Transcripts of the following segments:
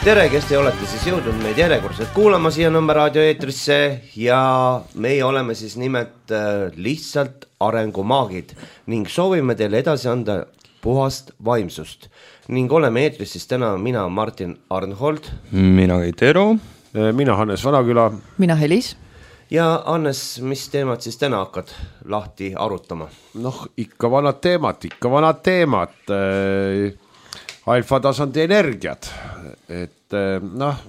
Tere, kes te olete siis jõudnud meid järjekordselt kuulama siia Nõmme raadio eetrisse ja meie oleme siis nimelt lihtsalt arengumaagid ning soovime teile edasi anda puhast vaimsust ning oleme eetris siis täna mina Martin Arnhold, mina Keit Eero, mina Hannes Vanaküla, mina Helis ja Hannes, mis teemad siis täna hakkad lahti arutama? Noh, ikka vanad teemad. Alfatasandi energiat, et noh,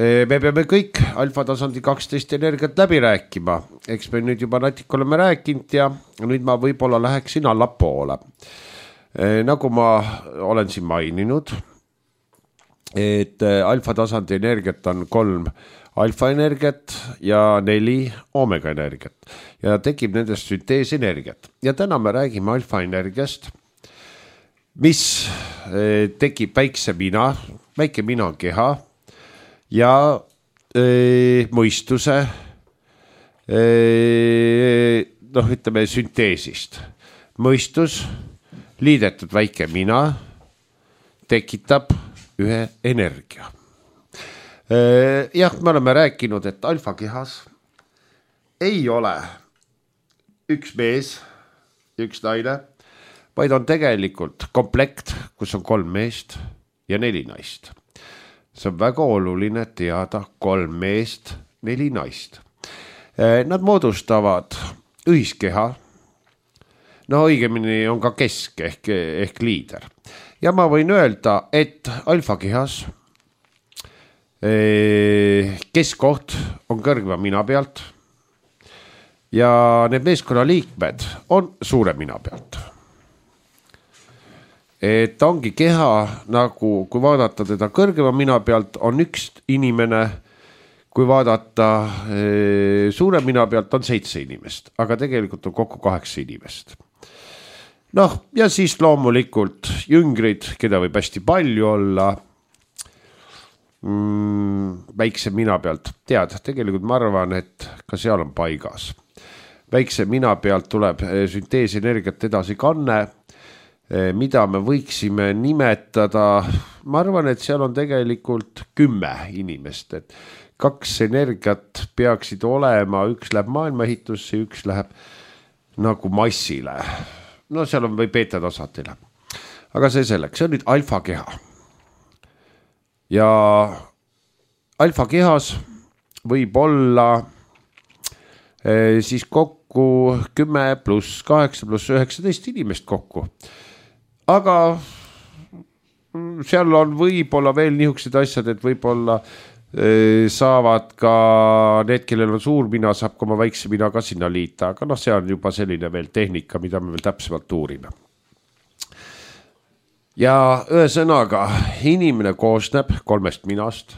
me peame kõik alfatasandi 12 energiat läbi rääkima, eks me nüüd juba natuke oleme rääkinud ja nüüd ma võib-olla läheksin allapoole. Nagu ma olen siin maininud, et alfatasandi energiat on 3 alfaenergiat ja 4 omega energiat ja tekib nendest sünteesenergiat ja täna me räägime alfaenergiast, mis tekib väike mina on keha ja mõistuse ütleme sünteesist. Mõistus, liidetud väike mina tekitab ühe energia. Jah, me oleme rääkinud, et alfakehas ei ole üks mees, üks naine, vaid on tegelikult komplekt, kus on 3 meest ja 4 naist. See on väga oluline teada, 3 meest, 4 naist. Nad moodustavad ühiskeha, no õigemini on ka kesk ehk liider. Ja ma võin öelda, et alfakehas keskkoht on kõrgema mina pealt ja need meeskonna liikmed on suure mina pealt. Et ongi keha nagu, kui vaadata teda kõrgema mina pealt, on üks inimene, kui vaadata suure mina pealt on 7 inimest, aga tegelikult on kokku 8 inimest. Noh, ja siis loomulikult jüngrid, keda võib hästi palju olla, väikse mina pealt, tead, tegelikult ma arvan, et ka seal on paigas. Väikse mina pealt tuleb sünteesenergiat edasi kanne, mida me võiksime nimetada, ma arvan, et seal on tegelikult 10 inimest, et 2 energiat peaksid olema, üks läheb maailmaehitusse, üks läheb nagu massile. No seal on või beeta tasandile. Aga see selleks, see on nüüd alfakeha. Ja alfakehas võib olla siis kokku 10 pluss 8 pluss 19 inimest kokku. Aga seal on võib-olla veel niisugused asjad, et võib-olla saavad ka need, kellel on suur mina, saab ka oma väikse mina ka sinna liita, aga noh, see on juba selline veel tehnika, mida me veel täpsemalt uurime. Ja ühesõnaga, inimene koosneb 3 minast,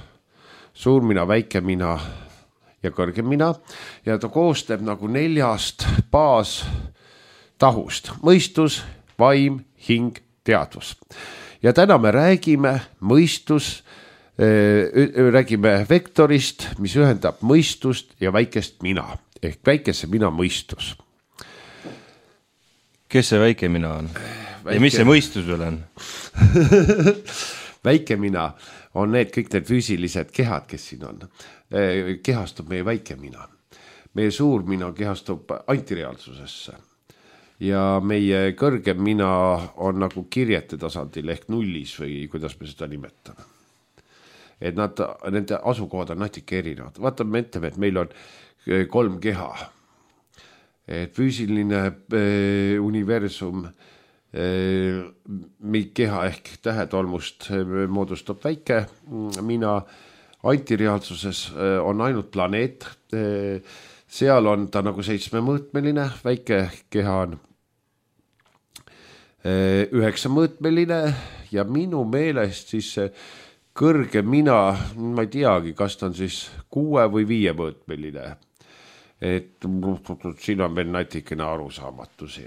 suur mina, väike mina ja kõrgem mina ja ta koosneb nagu 4 baastahust, mõistus, vaim, hing, teadvus. Ja täna me räägime räägime vektorist, mis ühendab mõistust ja väikest mina, ehk väikese mina mõistus. Kes see väike mina on? Ja mis see mõistus veel on? Väike mina on kõik need füüsilised kehad, kes siin on. Kehastub meie väike mina. Meie suur mina kehastub antireaalsusesse. Ja meie kõrgem mina on nagu kirjete tasandil ehk nullis või kuidas me seda nimetame. Et nende asukohad on natuke erinevad. Vaatame, me ütleme, et meil on 3 keha. Et füüsiline universum, keha ehk tähetolmust moodustab väike mina. Antireaalsuses on ainult planeet. Seal on ta nagu 7-mõõtmeline, väike keha on 9-mõõtmeline ja minu meelest siis kõrge mina, ma ei teagi, kas ta on siis 6 või 5-mõõtmeline. Et siin on veel natikene arusaamatusi.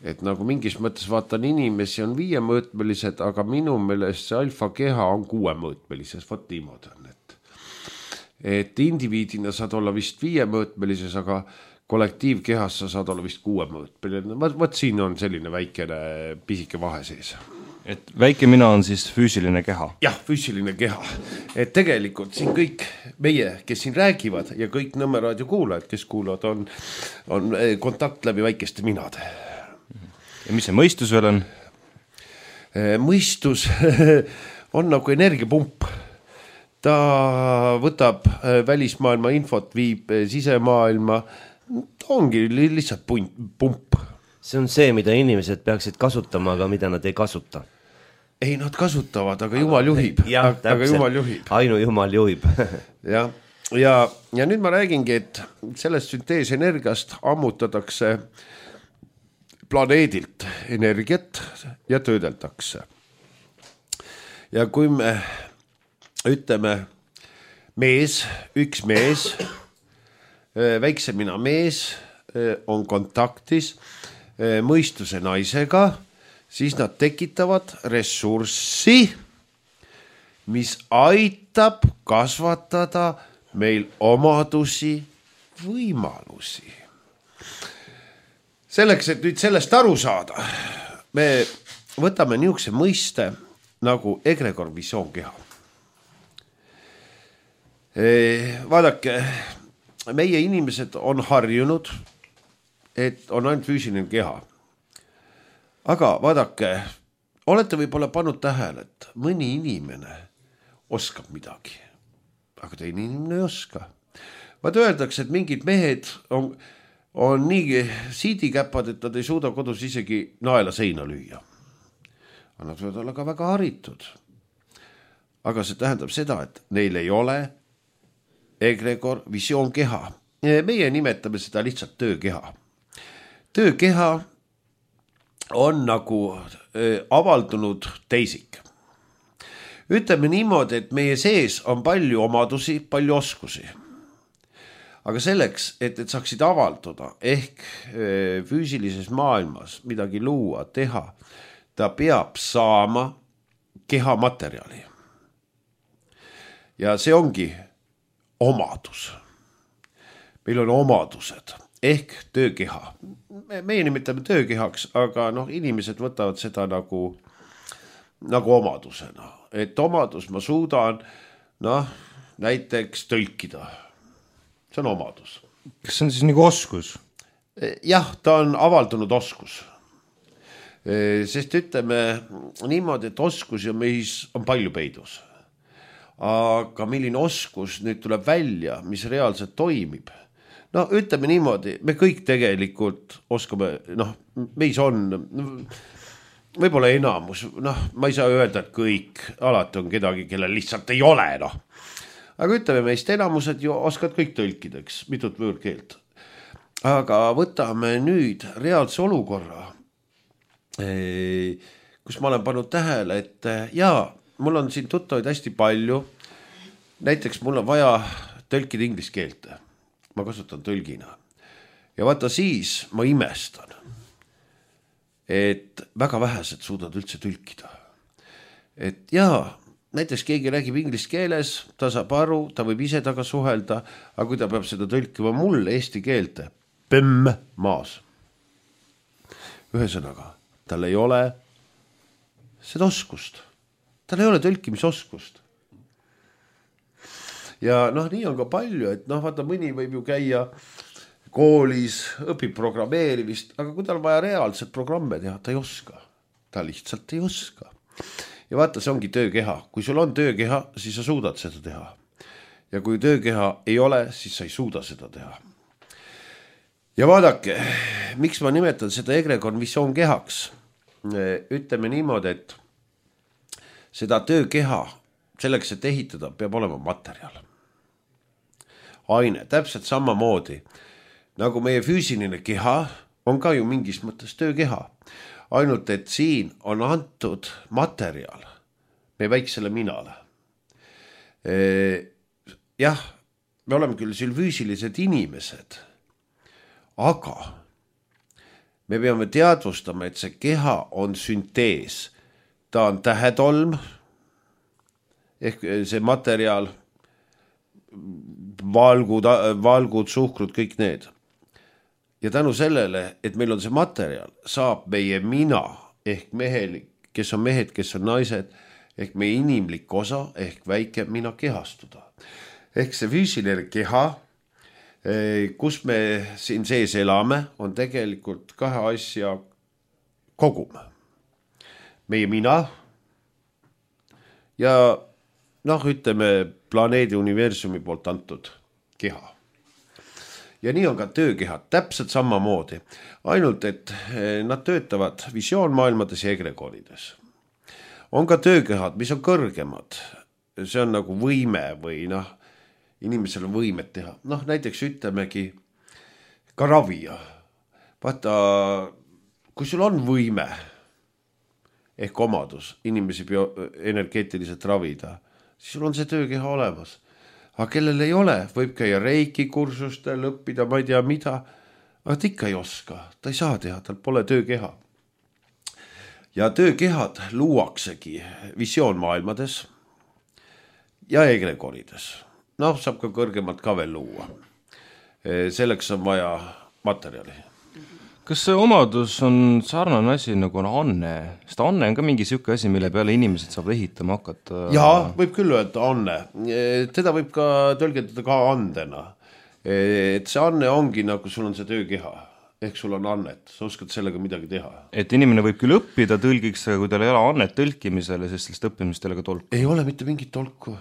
Et nagu mingis mõttes vaatan inimesi on 5-mõõtmelised, aga minu meelest see alfa keha on 6-mõõtmelises, vot niimoodi on. Et indiviidina saad olla vist 5-mõõtmelises, aga kollektiivkehas sa saad olla vist 6-mõõtmeline. Vot siin on selline väikene pisike vahe sees. et väike mina on siis füüsiline keha. Jah, füüsiline keha. Et tegelikult siin kõik meie, kes siin räägivad ja kõik Nõmme raadio kuulajad, kes kuulavad, on kontakt läbi väikeste minade. Ja mis see mõistus veel on? Mõistus on nagu energiapump. Ta võtab välismaailma infot, viib sisemaailma, ta ongi lihtsalt pump. See on see, mida inimesed peaksid kasutama, aga mida nad ei kasuta. Ei, nad kasutavad, aga Jumal juhib. Jah, aga Jumal juhib. Ainu Jumal juhib. ja nüüd ma räägingi, et sellest sünteesenergiast ammutatakse planeedilt energiat ja töödeldakse. Ja kui me ütleme üks mees, väiksemina mees on kontaktis mõistuse naisega, siis nad tekitavad ressurssi, mis aitab kasvatada meil omadusi, võimalusi. Selleks, et nüüd sellest aru saada, me võtame niisuguse mõiste nagu egregor visioonkeha. Vaadake, meie inimesed on harjunud, et on ainult füüsiline keha. Aga vaadake, olete võib-olla pannud tähele, et mõni inimene oskab midagi, aga teine inimene ei oska. Vaat öeldakse, et mingid mehed on nii siidikäpad, et nad ei suuda kodus isegi naela seina lüüa. Aga nad võivad olla ka väga haritud. Aga see tähendab seda, et neil ei ole egregor visioonkeha. Meie nimetame seda lihtsalt töökeha. Töökeha on nagu avaldunud teisik. Ütleme niimoodi, et meie sees on palju omadusi, palju oskusi. Aga selleks, et saaksid avalduda ehk füüsilises maailmas midagi luua, teha, ta peab saama kehamaterjali. Ja see ongi omadus. Meil on omadused ehk töökeha. Meie nimetame töökehaks, aga inimesed võtavad seda nagu omadusena. Et omadus ma suudan näiteks tõlkida. See on omadus. Kas see on siis nagu oskus? Jah, ta on avaldunud oskus. Sest ütleme niimoodi, et oskus ja meis on palju peidus. Aga milline oskus nüüd tuleb välja, mis reaalselt toimib? Ütleme niimoodi, me kõik tegelikult oskame, meis on võib-olla enamus, ma ei saa öelda, et kõik, alati on kedagi, kellel lihtsalt ei ole, Aga ütleme, meist enamused ju oskad kõik tõlkideks, mitut võõrkeelt. Aga võtame nüüd reaalse olukorra, kus ma olen pannud tähele, et mul on siin tuttavaid hästi palju. Näiteks mul on vaja tõlkida inglise keelt. Ma kasutan tõlgina. Ja vaata siis ma imestan, et väga vähesed suudavad üldse tõlkida. Et näiteks keegi räägib inglise keeles, ta saab aru, ta võib ise taga suhelda, aga kui ta peab seda tõlkima mulle eesti keelte, maas. Ühesõnaga, tal ei ole seda oskust. Tal ei ole tõlkimisoskust. Ja nii on ka palju, et vaata mõni võib ju käia koolis, õpib programmeerimist, aga kui tal on vaja reaalselt programme teha, ta ei oska. Ta lihtsalt ei oska. Ja vaata, see ongi töökeha. Kui sul on töökeha, siis sa suudad seda teha. Ja kui töökeha ei ole, siis sa ei suuda seda teha. Ja vaadake, miks ma nimetan seda egregor visioonkehaks? Ütleme niimoodi, et seda töökeha selleks, et ehitada, peab olema materjal. Aine, täpselt samamoodi. Nagu meie füüsiline keha on ka ju mingis mõttes töökeha. Ainult, et siin on antud materjal meie väiksele minale. Jah, me oleme küll siin füüsilised inimesed, aga me peame teadvustama, et see keha on süntees. Ta on tähetolm, ehk see materjal, valgud, suhkrud, kõik need. Ja tänu sellele, et meil on see materjal, saab meie mina ehk mehelik kes on mehed, kes on naised, ehk meie inimlik osa ehk väike mina kehastuda. Ehk see füüsiline keha, kus me siin sees elame, on tegelikult kahe asja kogum. Meie mina ja ütleme planeedi universumi poolt antud keha. Ja nii on ka töökehad täpselt samamoodi, ainult et nad töötavad visioonmaailmades ja egregoonides. On ka töökehad, mis on kõrgemad, see on nagu võime või inimesel on võimet teha. Näiteks ütlemegi ka ravija. Vaata, kui sul on võime ehk omadus inimesi energeetiliselt ravida, siis sul on see töökeha olemas. Aga kellel ei ole, võib käia reiki kursustel, õppida, ma ei tea mida, aga ta ikka ei oska, ta ei saa teha, tal pole töökeha. Ja töökehad luuaksegi visioonmaailmades ja egregonides. Saab ka kõrgemalt ka veel luua. Selleks on vaja materjali. Kas see omadus on sarnane asi nagu on anne? Sest anne on ka mingi siuke asi, mille peale inimesed saab ehitama hakata. Jaa, võib küll öelda anne. Teda võib ka tõlgendada ka andena. Et see anne ongi nagu sul on see töökeha. Ehk sul on annet, sa oskad sellega midagi teha. Et inimene võib küll õppida tõlgiks, aga kui tal ei ole annet tõlkimisele, sest sellest õppimist ei ole ka tolku. Ei ole mitte mingit tolku.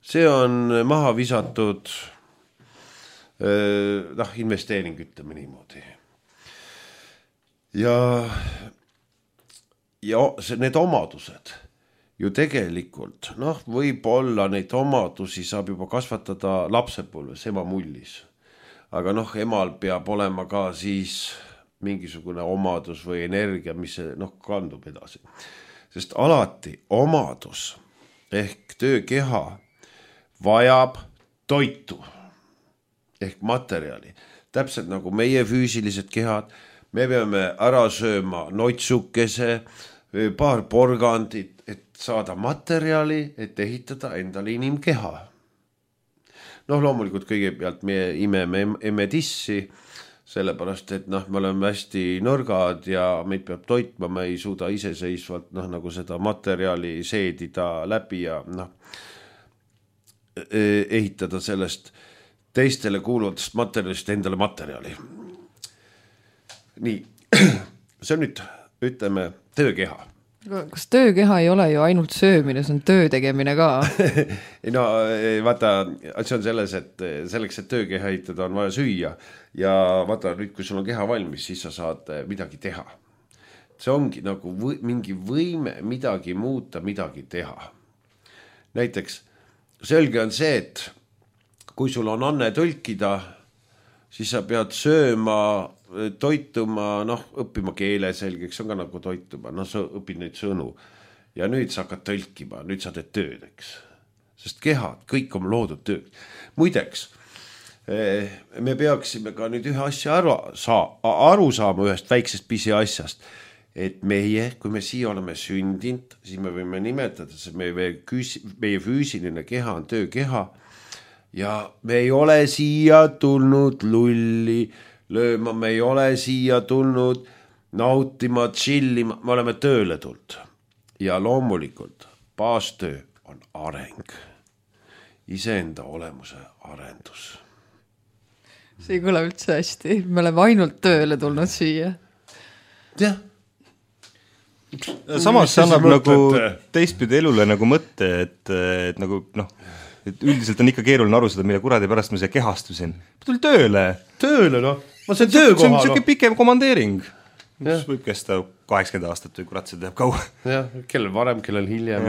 See on maha visatud investeering, ütleme niimoodi. Ja need omadused ju tegelikult, võib-olla neid omadusi saab juba kasvatada lapsepõlves, ema mullis. Aga emal peab olema ka siis mingisugune omadus või energia, mis kandub edasi. Sest alati omadus ehk töökeha vajab toitu ehk materjali. Täpselt nagu meie füüsilised kehad, me peame ära sööma noitsukese, paar porgandit, et saada materjali, et ehitada endale inimkeha. Loomulikult kõigepealt me imeme tissi, sellepärast, et me oleme hästi nõrgad ja meid peab toitma, me ei suuda iseseisvalt nagu seda materjali seedida läbi ja ehitada sellest teistele kuuluvatest materjalist endale materjali. Nii, see on nüüd, ütleme, töökeha. Kas töökeha ei ole ju ainult söömine, see on töö tegemine ka? Vaata, see on selles, et selleks, et töökeha ehitada, on vaja süüa. Ja vaata, nüüd kui sul on keha valmis, siis sa saad midagi teha. See ongi nagu mingi võime midagi muuta, midagi teha. Näiteks, selge on see, et kui sul on anne tõlkida, siis sa pead sööma, toituma, õppima keele selgeks, on ka nagu toituma, sa õpid neid sõnu ja nüüd sa hakkad tõlkima, nüüd sa teed tööd, eks. Sest kehad, kõik on loodud tööd. Muideks, me peaksime ka nüüd ühe asja aru saama ühest väiksest pisi asjast, et meie, kui me siia oleme sündinud, siis me võime nimetada, et meie füüsiline keha on töökeha ja me ei ole siia tulnud lulli lööma, me ei ole siia tulnud nautima, chillima, me oleme tööle tulnud. Ja loomulikult baastöö on areng, iseenda olemuse arendus. See ei kõla üldse hästi, me oleme ainult tööle tulnud siia. Jah. Samas see annab nagu teistpidi elule nagu mõtte, et nagu et üldiselt on ikka keeruline aru seda, mille kuradi pärast ma siia kehastusin. Tuli tööle. Tööle, Ma see töökoha. See on pikem komandeering, mis võib kesta 80 aastat või kurat, see teeb kaua. Jah, kellel varem, kellel hiljem.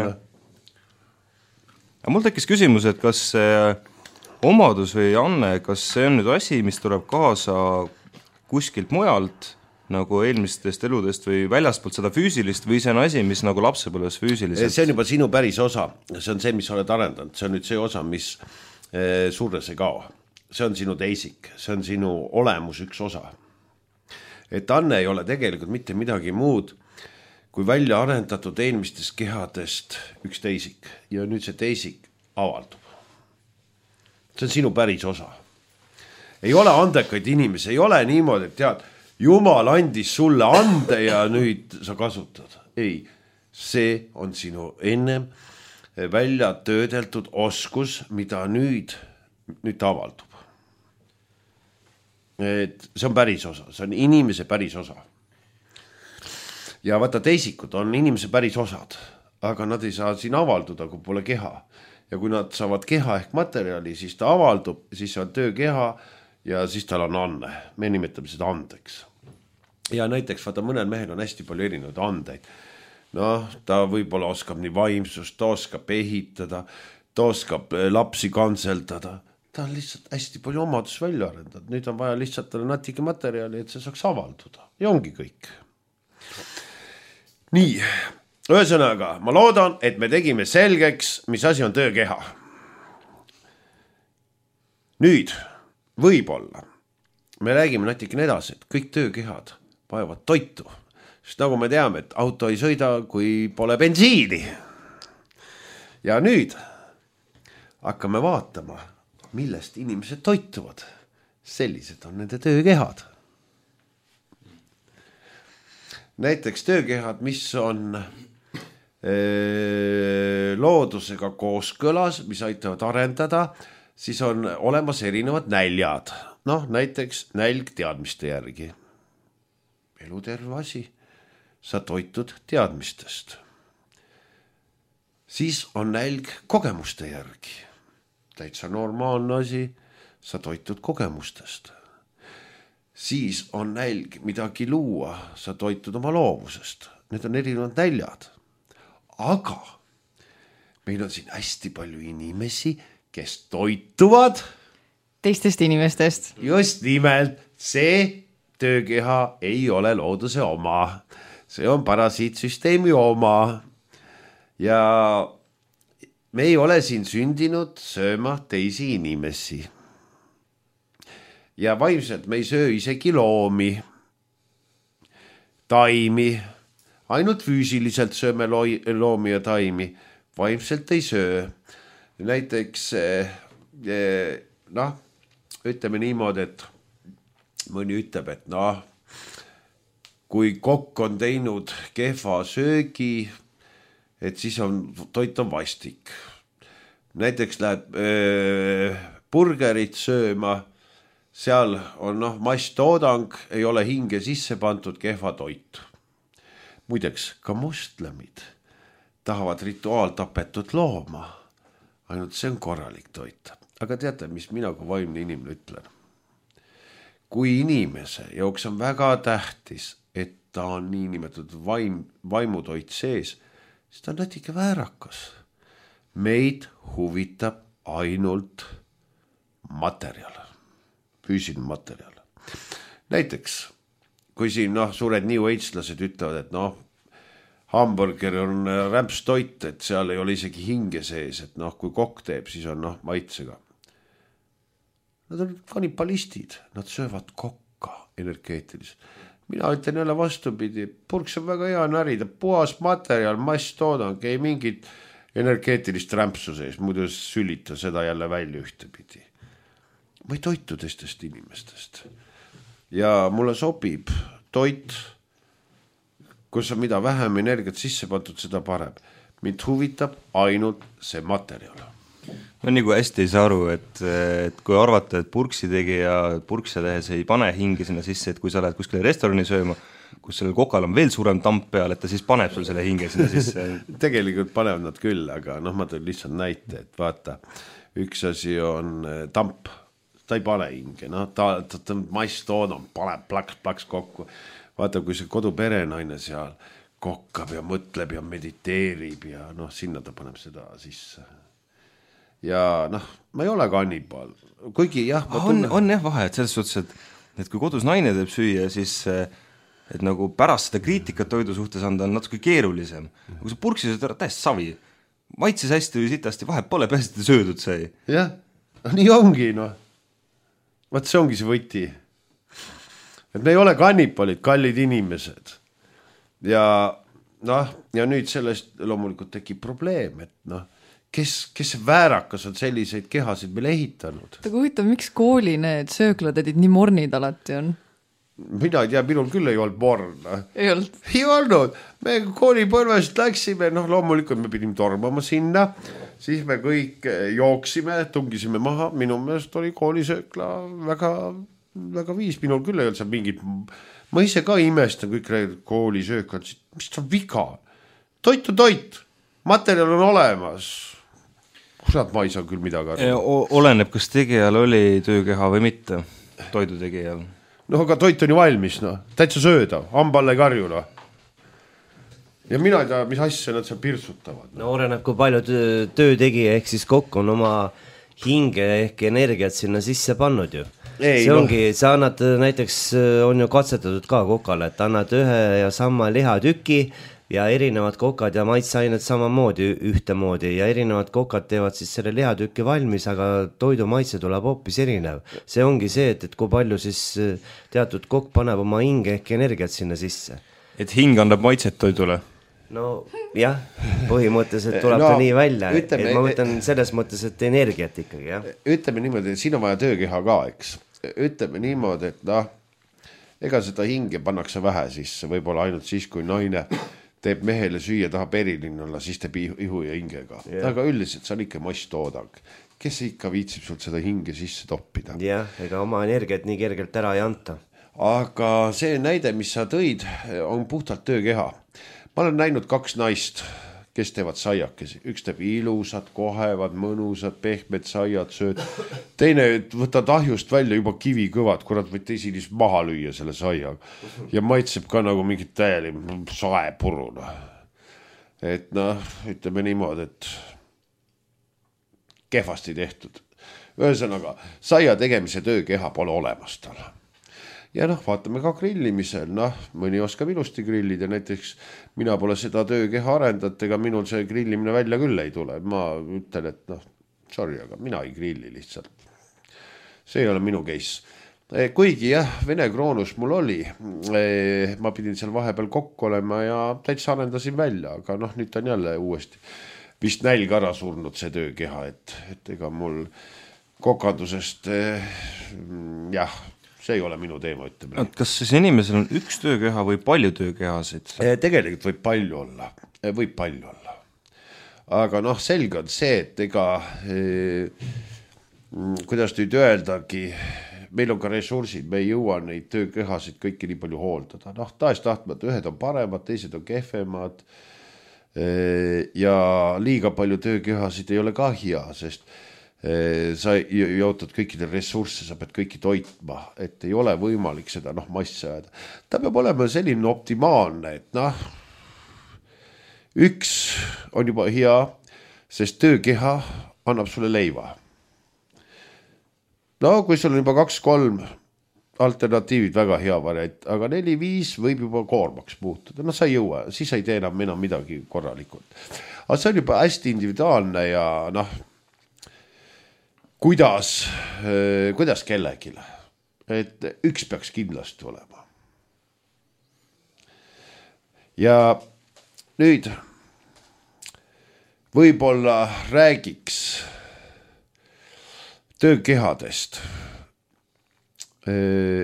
Aga mul tekkis küsimus, et kas see omadus või anne, kas see on nüüd asi, mis tuleb kaasa kuskilt mujalt, nagu eelmistest eludest või väljaspoolt seda füüsilist või see on asi, mis nagu lapsepõlves füüsiliselt? See on juba sinu päris osa, see on see, mis oled arendanud, see on nüüd see osa, mis surres ei kao. See on sinu teisik, see on sinu olemus üks osa. Et anne ei ole tegelikult mitte midagi muud, kui välja arendatud eelmistest kehadest üks teisik ja nüüd see teisik avaldub. See on sinu päris osa. Ei ole andekaid inimesi, ei ole niimoodi, et tead, Jumal andis sulle ande ja nüüd sa kasutad. Ei, see on sinu ennem välja töödeldud oskus, mida nüüd avaldub. Et see on päris osa, see on inimese päris osa. Ja vaata, teisikud on inimese päris osad, aga nad ei saa siin avalduda, kui pole keha. Ja kui nad saavad keha ehk materjali, siis ta avaldub, siis on töökeha ja siis tal on anne. Me nimetame seda andeks. Ja näiteks vaata, mõnel mehel on hästi palju erinevaid andeid. Noh, ta võib-olla oskab nii vaimsust, ta oskab ehitada, ta oskab lapsi kantseldada. Ta on lihtsalt hästi palju omadus välja arendanud. Nüüd on vaja lihtsalt talle natuke materjali, et see saaks avalduda. Ja ongi kõik. Nii, ühesõnaga, ma loodan, et me tegime selgeks, mis asi on töökeha. Nüüd, võib-olla, me räägime natikene edasi, et kõik töökehad vajavad toitu. Sest nagu me teame, et auto ei sõida, kui pole bensiini. Ja nüüd hakkame vaatama, millest inimesed toituvad. Sellised on nende töökehad. Näiteks töökehad, mis on loodusega kooskõlas, mis aitavad arendada, siis on olemas erinevad näljad. Noh, näiteks nälg teadmiste järgi. Eluterve asi. Sa toitud teadmistest. Siis on nälg kogemuste järgi. Täitsa normaalne asi, sa toitud kogemustest. Siis on nälg midagi luua, sa toitud oma loovusest. Need on erinevad näljad. Aga meil on siin hästi palju inimesi, kes toituvad teistest inimestest. Just nimelt, see töökeha ei ole looduse oma. See on parasiitsüsteemi oma. Ja me ei ole siin sündinud sööma teisi inimesi. Ja vaimselt me ei söö isegi loomi, taimi, ainult füüsiliselt sööme loomi ja taimi, vaimselt ei söö. Näiteks, noh, ütleme niimoodi, et mõni ütleb, et noh, kui kokk on teinud kehva söögi, et siis on toit on vastik. Näiteks läheb burgerit sööma, seal on masstoodang, ei ole hinge sisse pandud, kehva toit. Muideks, ka moslemid tahavad rituaaltapetud looma, ainult see on korralik toit. Aga teate, mis mina kui vaimne inimene ütlen? Kui inimese jaoks on väga tähtis, et ta on niinimetatud vaimutoit sees, siis ta on natuke väärakas. Meid huvitab ainult materjal. Füüsiline materjal. Näiteks, kui siin suured New Age-lased ütlevad, et hamburger on rämpstoit, et seal ei ole isegi hinge sees, et kui kokk teeb, siis on maitsega. Nad on kannibalistid, nad söövad kokka energeetiliselt. Mina ütlen jälle vastupidi, purks on väga hea närida, puhas materjal, masstoodang, ei mingit energeetilist rämpsu sees, muidu sülita seda jälle välja ühtepidi. Ma ei toitu teistest inimestest. Ja mulle sobib toit, kus on mida vähem energiat sisse pandud, seda parem. Mind huvitab ainult see materjal. Ma nagu hästi ei saa aru, et kui arvata, et purksi tegija purkse tehes ei pane hingi sinna sisse, et kui sa lähed kuskile restorani sööma, kus sellel kokal on veel suurem tamp peal, et ta siis paneb sul selle hinge sinna sisse. Tegelikult panevad nad küll, aga ma tõin lihtsalt näite, et vaata, üks asi on tamp, ta ei pane hinge, ta masstoodang, paneb plaks kokku. Vaata, kui see koduperenaine seal kokkab ja mõtleb ja mediteerib ja sinna ta paneb seda sisse. Ja ma ei ole kannibal, kuigi jah. On jah vahe, et selles suhtes, et kui kodus naine teeb süüa, siis et nagu pärast seda kriitikat toidu suhtes anda on natuke keerulisem. Kui sa purksi sööd ära, täiesti savi. Maitses hästi või sitasti, vahet pole, pääsete söödud sai. Jah, nii ongi, Vaat see ongi see võti. Et me ei ole kannipalid, kallid inimesed. Ja nüüd sellest loomulikult tekib probleem, et kes väärakas on selliseid kehasid meil ehitanud. Aga huvitav, miks kooli need sööklatädid nii mornid alati on? mina ei tea, minul küll ei olnud morn. Ei olnud. Ei olnud, me koolipõlvest läksime, loomulikult me pidime tormama sinna, siis me kõik jooksime, tungisime maha, minu meelest oli koolisöökla väga, väga viis, minul küll ei olnud seal mingit, ma ise ka imestan kõik koolisööklad, mis ta viga, toit on toit, materjal on olemas. Kurat, ma ei saa küll midagi aru. Oleneb, kas tegijal oli töökeha või mitte, toidu tegijal. No aga toit on ju valmis, täitsa sööda, hamballe ei karju. Ja mina ei tea, mis asja nad seal pirsutavad. No oleneb, kui palju töötegija ehk siis kokk on oma hinge ehk energiat sinna sisse pannud ju. See ongi, sa annad näiteks, on ju katsetatud ka kokale, et annad ühe ja sama lihatüki ja erinevad kokad ja maitseained samamoodi ühtemoodi ja erinevad kokad teevad siis selle lihatüki valmis, aga toidu maitse tuleb hoopis erinev. See ongi see, et kui palju siis teatud kokk paneb oma hinge ehk energiat sinna sisse. Et hing annab maitset toidule? No jah, põhimõtteliselt tuleb ta nii välja, ütleme, et ma mõtlen selles mõttes, et energiat ikkagi, jah. Ütleme niimoodi, et siin on vaja töökeha ka, eks. Ütleme niimoodi, et ega seda hinge pannakse vähe sisse, võib-olla ainult siis, kui naine teeb mehele süüa, tahab eriline olla, siis teeb ihu ja hingega. Aga üldiselt see on ikka masstoodang. Kes ikka viitsib sult seda hinge sisse toppida? Jah, ega oma energiat nii kergelt ära ei anta. Aga see näide, mis sa tõid, on puhtalt töökeha. Ma olen näinud 2 naist, kes teevad saiakesi. Üks teeb ilusad, kohevad, mõnusad, pehmed saiad sööd. Teine võtad ahjust välja juba kivi kõvad, kurat võid teisilis maha lüüa selle saia. Ja maitseb ka nagu mingit täieli saepuruna. Et ütleme niimoodi, et kehvasti tehtud. Ühesõnaga, saia tegemise töökeha pole olemas tal. Ja vaatame ka grillimisel, mõni oskab ilusti grillida, näiteks mina pole seda töökeha arendat, ega minul see grillimine välja küll ei tule. Ma ütlen, et sorry, aga mina ei grilli lihtsalt. See ei ole minu case. Kuigi Vene kroonus mul oli, ma pidin seal vahepeal kokku olema ja täitsa arendasin välja, aga nüüd on jälle uuesti vist nälg ära surnud see töökeha, et ega mul kokandusest see ei ole minu teema, ütleme. Kas siis inimesel on üks töökeha või palju töökehasid? Tegelikult võib palju olla. Aga selge on see, et ega kuidas nüüd öeldagi, meil on ka ressursid, me ei jõua neid töökehasid kõiki nii palju hooldada. Tahes tahtmata, ühed on paremad, teised on kehvemad ja liiga palju töökehasid ei ole ka hea, sest sa jootad kõikidel ressursse, sa pead kõiki toitma, et ei ole võimalik seda massi ajada. Ta peab olema selline optimaalne, et üks on juba hea, sest töökeha annab sulle leiva. Kui sul on juba 2-3 alternatiivid, väga hea variant, aga 4-5 võib juba koormaks muutuda. Sa ei jõua, siis ei tee enam midagi korralikult. Aga see on juba hästi individuaalne ja kuidas kellegile, et üks peaks kindlasti olema. Ja nüüd võib-olla räägiks töökehadest.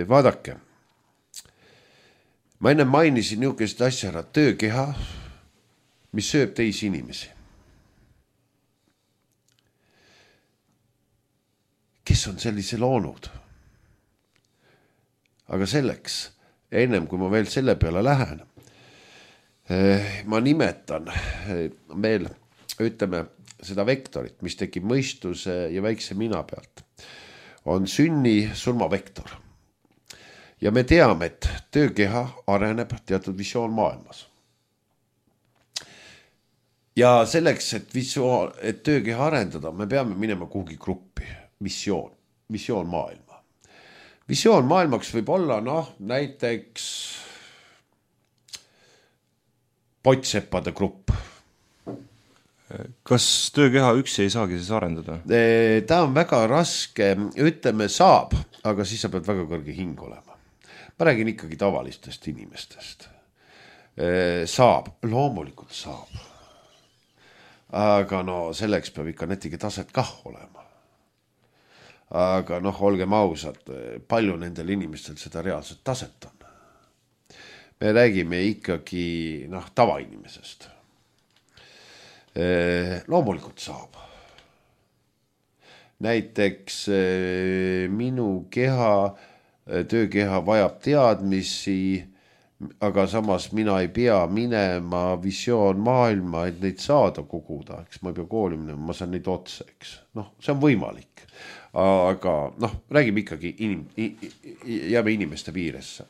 Vaadake, ma enne mainisin niisugust asja ära, töökeha, mis sööb teisi inimesi. Kes on sellise loonud? Aga selleks, ennem kui ma veel selle peale lähen, ma nimetan veel, ütleme, seda vektorit, mis tekib mõistuse ja väikse mina pealt, on sünni-surmavektor. Ja me teame, et töökeha areneb teatud visioon maailmas. Ja selleks, et töökeha arendada, me peame minema kuhugi gruppi. Visioon maailma. Visioon maailmaks võib olla, näiteks potseppade grupp. Kas töökeha üksi ei saagi siis arendada? Ta on väga raske, ütleme saab, aga siis sa pead väga kõrge hing olema. Ma räägin ikkagi tavalistest inimestest. Saab, loomulikult saab. Aga selleks peab ikka netige taset kah olema. aga noh, olgem ausad, palju nendel inimestel seda reaalset taset on. Me räägime ikkagi tavainimesest. Loomulikult saab. Näiteks minu töökeha vajab teadmisi, aga samas mina ei pea minema visioon maailma, et neid saada koguda, eks ma ei pea kooli minema, ma saan neid otsa, eks. See on võimalik, aga räägime ikkagi jääme inimeste piiresse.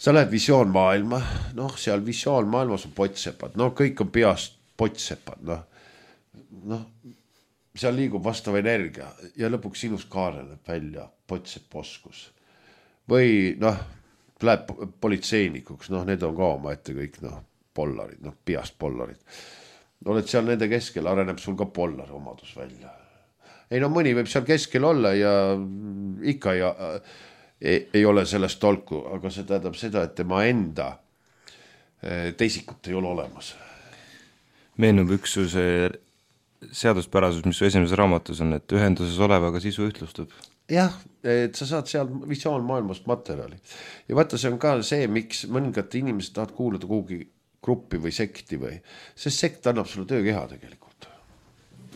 Sa lähed visioon maailma, seal visioon maailmas on pottsepad, kõik on peast pottsepad, seal liigub vastav energia ja lõpuks sinus kaareneb välja pottsepp oskus. Või läheb politseinikuks, need on ka oma ette kõik pollarid, peast pollarid. Oled seal nende keskel, areneb sul ka pollari omadus välja. Ei mõni võib seal keskel olla ja ikka ei ole sellest tolku, aga see tähendab seda, et tema enda teisikut ei ole olemas. Meenub üks see seaduspärasus, mis esimeses raamatus on, et ühenduses olevaga sisu ühtlustub. Jah, et sa saad seal visioon maailmast materjali. Ja vaata, see on ka see, miks mõningad inimesed tahavad kuulata kuhugi gruppi või sekti või, sest sekt annab sulle töökeha tegelikult.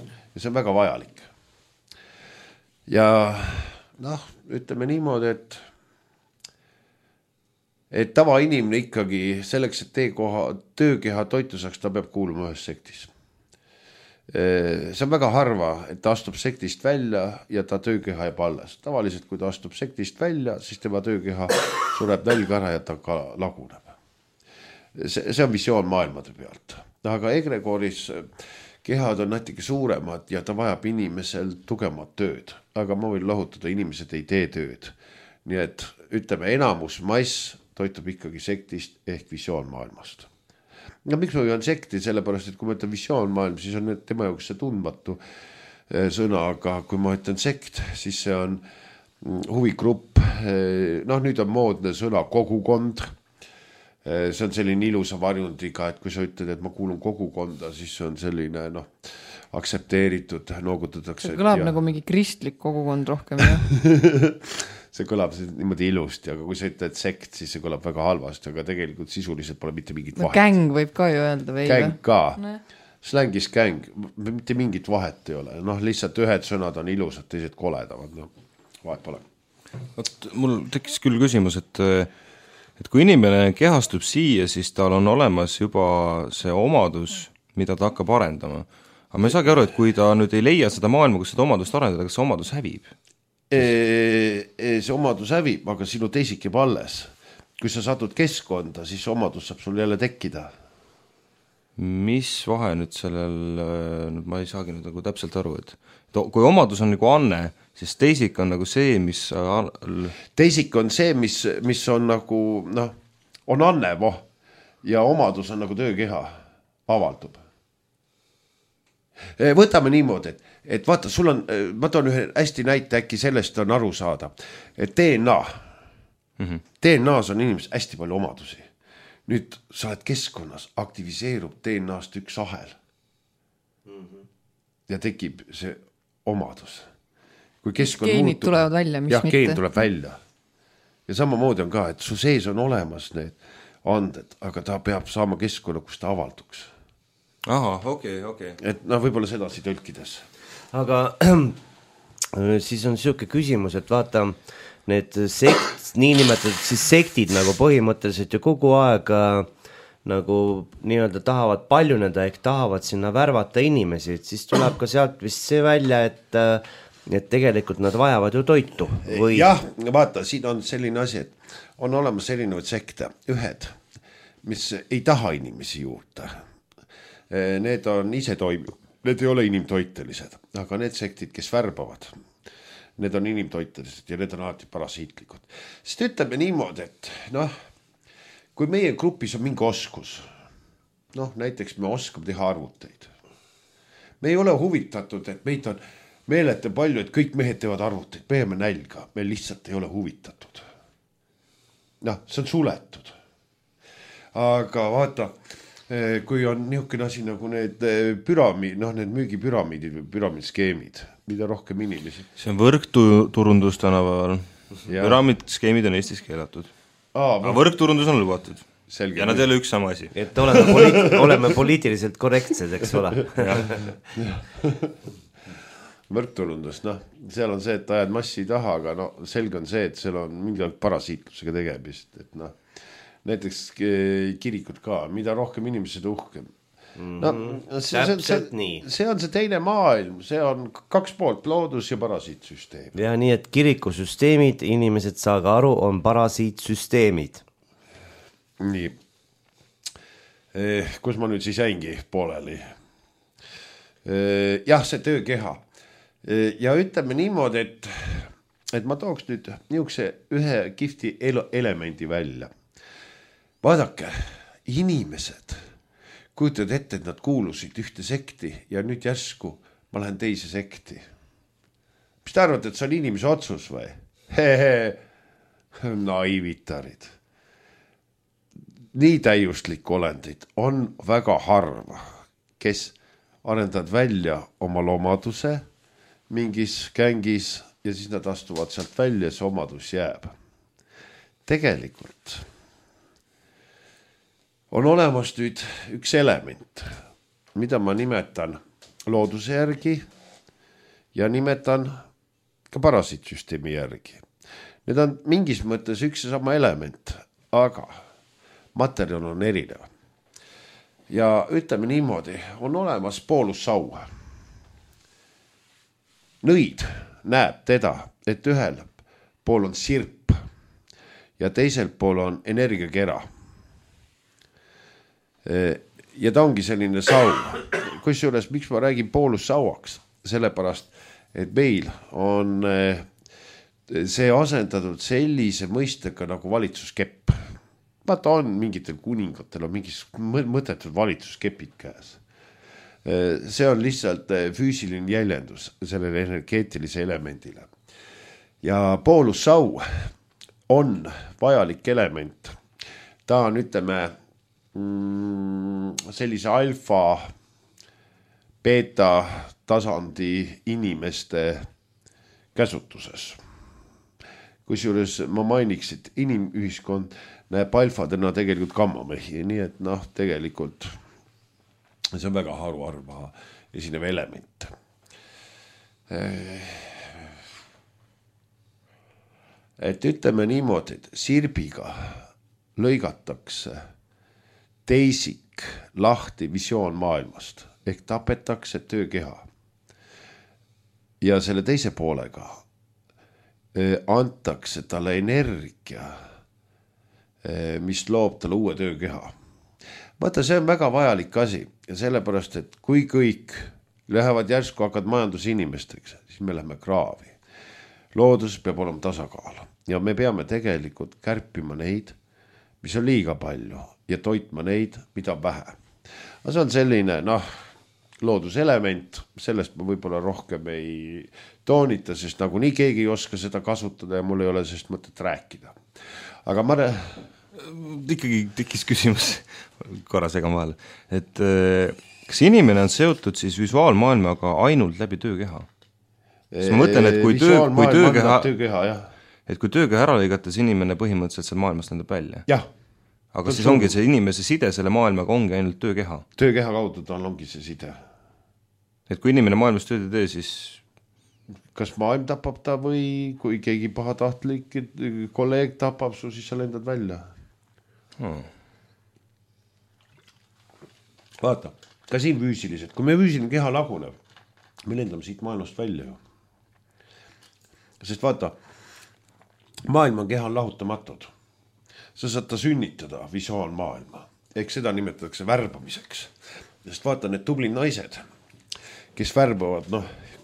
Ja see on väga vajalik. Ja ütleme niimoodi, et tavainimene ikkagi selleks, et töökeha toitu saaks, ta peab kuuluma ühes sektis. See on väga harva, et ta astub sektist välja ja ta töökeha jääb alles. Tavaliselt, kui ta astub sektist välja, siis tema töökeha sureb nälga ära ja ta ka laguneb. See on visioon maailmade pealt. Aga egregoris kehad on natuke suuremad ja ta vajab inimesel tugevat tööd. Aga ma võin lahutada, inimesed ei tee tööd. Nii et ütleme, enamus mass toitub ikkagi sektist ehk visioon maailmast. Miks ma on sekti, sellepärast, et kui ma ütlen visioon maailm, siis on tema jaoks see tundmatu sõna, aga kui ma ütlen sekt, siis see on huvigrupp. Nüüd on moodne sõna kogukond. See on selline ilusa varjundiga, et kui sa ütled, et ma kuulun kogukonda, siis see on selline aktsepteeritud, noogutatakse. See kõlab nagu mingi kristlik kogukond rohkem, jah? See kõlab niimoodi ilusti, aga kui sa ütled sekt, siis see kõlab väga halvasti, aga tegelikult sisuliselt pole mitte mingit vahet. Gäng võib ka ju öelda või? Gäng ka. Slängis gäng, mitte mingit vahet ei ole. Lihtsalt ühed sõnad on ilusad, teised koledavad. Vahet pole. Mul tekkis küll küsimus, et kui inimene kehastub siia, siis tal on olemas juba see omadus, mida ta hakkab arendama. Aga ma ei saagi aru, et kui ta nüüd ei leia seda maailma, kus seda omadust arendada, kas see omadus hävib? See omadus hävib, aga sinu teisik jääb alles. Kui sa satud keskkonda, siis omadus saab sul jälle tekkida. Mis vahe nüüd sellel, ma ei saagi nüüd nagu täpselt aru, et kui omadus on nagu anne, siis teisik on nagu see, mis... Teisik on see, mis on nagu, on anne, ja omadus on nagu töökeha, avaldub. Võtame niimoodi, et vaata, sul on, ma toon ühe hästi näite, äkki sellest on aru saada, et DNA. DNA-s on inimesed hästi palju omadusi. Nüüd sa oled keskkonnas, aktiviseerub DNA-st üks ahel. Ja tekib see omadus. Kui geenid tulevad välja, mis mitte. Geen tuleb välja. Ja samamoodi on ka, et su sees on olemas need anded, aga ta peab saama keskkonna, kus ta avalduks. Aha, okei. Et võib-olla sedasi tõlkides. Aga siis on selline küsimus, et vaata, need niinimetatud siis sektid nagu põhimõtteliselt ju kogu aeg nagu nii-öelda tahavad paljuneda ehk tahavad sinna värvata inimesi, et siis tuleb ka sealt vist see välja, et tegelikult nad vajavad ju toitu. Või... Jah, vaata, siin on selline asi, et on olemas erinevad sekte, ühed, mis ei taha inimesi juurde. Need on ise toimivad, need ei ole inimtoitelised, aga need sektid, kes värbavad, need on inimtoitelised ja need on alati parasiitlikud. Sest ütleme niimoodi, et kui meie grupis on mingi oskus, näiteks me oskame teha arvuteid. Me ei ole huvitatud, et meid on meelete palju, et kõik mehed teevad arvuteid, me jääme nälga, me lihtsalt ei ole huvitatud. See on suletud. Aga vaata, kui on niisugune asi nagu need need müügipüramiidid või püramiidskeemid, mida rohkem inimesi. See on võrkturundus tänapäeval. Püramiidskeemid on Eestis keelatud. Aga võrkturundus on lubatud. Selge. Ja nad ei ole üks sama asi. Et oleme poliitiliselt korrektsed, eks ole. Võrkturundus, seal on see, et ajad massi taha, aga selge on see, et seal on mingi parasiitlusega tegemist, et näiteks kirikud ka, mida rohkem inimesed uhkem. See on see teine maailm, see on 2 poolt, loodus ja parasiitsüsteem. Ja nii, et kirikusüsteemid, inimesed saaga aru, on parasiitsüsteemid. Nii, kus ma nüüd siis jäingi pooleli? Jah, see töökeha. Ja ütleme niimoodi, et ma tooks nüüd niisuguse ühe kihvti elemendi välja. Vaadake, inimesed kujutavad ette, et nad kuulusid ühte sekti ja nüüd järsku ma lähen teise sekti. Mis te arvate, et see on inimese otsus või? Naivitarid. Nii täiuslik olendid on väga harva, kes arendavad välja oma lomaduse mingis kängis ja siis nad astuvad sealt välja ja see omadus jääb. Tegelikult on olemas nüüd üks element, mida ma nimetan looduse järgi ja nimetan ka parasiitsüsteemi järgi. Need on mingis mõttes üks ja sama element, aga materjal on erinev. Ja ütleme niimoodi, on olemas poolusau. Nõid näeb teda, et ühel pool on sirp ja teisel pool on energiakera. Ja ta ongi selline sau. Kusjuures, miks ma räägin poolussauaks? Sellepärast, et meil on see asendatud sellise mõistega nagu valitsuskepp. Vaata on mingitel kuningatel on mingis mõttetud valitsuskepid käes. See on lihtsalt füüsiline jäljendus sellele energeetilise elemendile. Ja poolussau on vajalik element. Ta on, ütleme, sellise alfa, beta tasandi inimeste käsutuses. Kusjuures ma mainiks, et inimühiskond näeb alfadena tegelikult gammamehi, nii et tegelikult see on väga haruharva esinev element. Et ütleme niimoodi, et sirbiga lõigatakse teisik lahti visioonmaailmast ehk tapetakse töökeha. Ja selle teise poolega antakse talle energia, mis loob talle uue töökeha. Vaata, see on väga vajalik asi ja sellepärast, et kui kõik lähevad järsku hakkad majandusinimesteks, siis me läheme kraavi. Loodus peab olema tasakaal ja me peame tegelikult kärpima neid, mis on liiga palju ja toitma neid, mida on vähe. See on selline, looduselement, sellest ma võib-olla rohkem ei toonita, sest nagu nii keegi ei oska seda kasutada ja mul ei ole sest mõtet rääkida. Aga ma... Ikkagi tekkis küsimus korra segan vahel, et kas inimene on seotud siis visuaalmaailmaga ainult läbi töökeha? Siis ma mõtlen, et kui töökeha ära lõigates inimene põhimõtteliselt seal maailmast lendab välja. Jah. Aga siis ongi see inimese side selle maailmaga ongi ainult töökeha. Töökeha kaudu tal ongi see side. Et kui inimene maailmas tööd ei tee, siis... Kas maailm tapab ta või kui keegi pahatahtlik kolleeg tapab su, siis sa lendad välja. Vaata, ka siin füüsiliselt, kui me füüsiline keha laguneb, me lendame siit maailmast välja ju. Sest vaata, maailm on keha lahutamatud. Sa saad ta sünnitada visuaalmaailma. Ehk seda nimetatakse värbamiseks. Sest vaata, need tublid naised, kes värbavad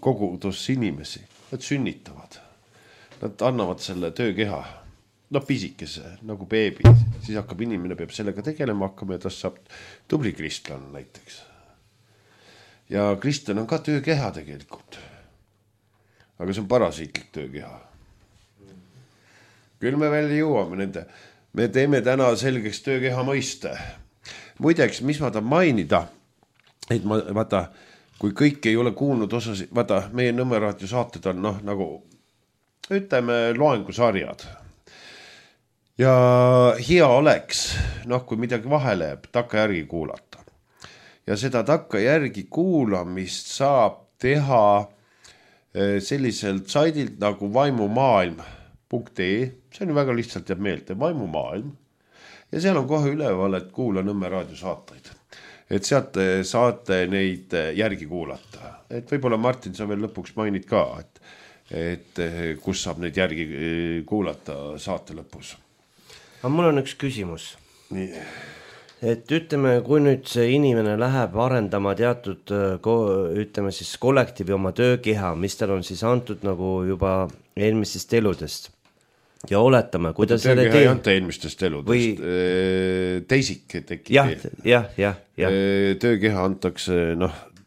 kogudus inimesi, nad sünnitavad. Nad annavad selle töökeha, pisikese, nagu beebi. Siis hakkab inimene, peab sellega tegelema hakkama ja tast saab tubli kristlan näiteks. Ja kristlan on ka töökeha tegelikult. Aga see on parasiitlik töökeha. Küll me veel jõuame nende. Me teeme täna selgeks töökeha mõiste. muideks, mis ma tahan mainida, et ma vaata, kui kõik ei ole kuulnud osasid, vaata, meie Nõmme raadio saated on nagu ütleme loengusarjad. Ja hea oleks, kui midagi vahele jääb, takka järgi kuulata. Ja seda takka järgi kuulamist saab teha selliselt saidilt nagu vaimumaailm.ee, see on väga lihtsalt jääb meelde, vaimumaailm. Ja seal on kohe üleval, et kuula Nõmme raadio saateid. Et sealt saate neid järgi kuulata. Et võib-olla Martin, sa veel lõpuks mainid ka, et kus saab neid järgi kuulata saate lõpus. Aga mul on üks küsimus. Nii. Et ütleme, kui nüüd see inimene läheb arendama teatud, ütleme siis kollektiivi oma töökeha, mis tal on siis antud nagu juba eelmistest eludest. Ja oletame, kui ta selle töökeha ei anta eelmistest eludest. Teisik tekib. Jah. Töökeha antakse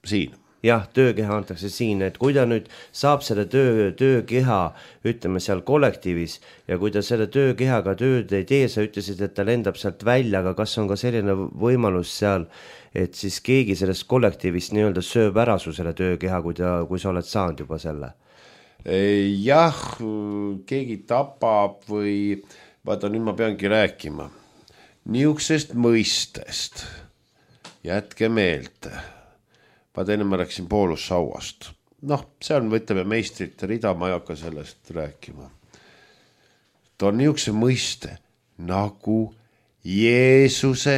siin. Jah, töökeha antakse siin, et kui ta nüüd saab selle töökeha, ütleme seal kollektiivis ja kui ta selle töökehaga tööd ei tee, sa ütlesid, et ta lendab sealt välja, aga kas on ka selline võimalus seal, et siis keegi sellest kollektiivist nii-öelda sööb ära su selle töökeha, kui sa oled saanud juba selle? Jah, keegi tapab või vaata, nüüd ma peangi rääkima niisugusest mõistest. Jätke meelde. Vaata enne ma rääksin Poolussauast. See on, võtleme, meistrite rida, ma ei hakka sellest rääkima. Ta on niisuguse mõiste nagu Jeesuse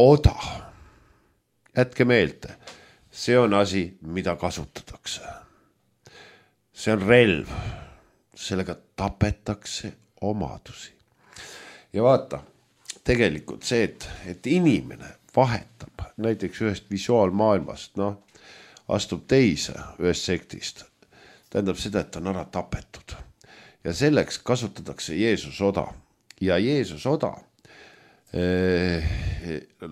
oda. Jätke meelde, see on asi, mida kasutatakse. See on relv, sellega tapetakse omadusi. Ja vaata, tegelikult see, et inimene vahetab näiteks ühest visuaalmaailmast, astub teise ühest sektist. Tähendab seda, et on ära tapetud. Ja selleks kasutatakse Jeesus oda. Ja Jeesus oda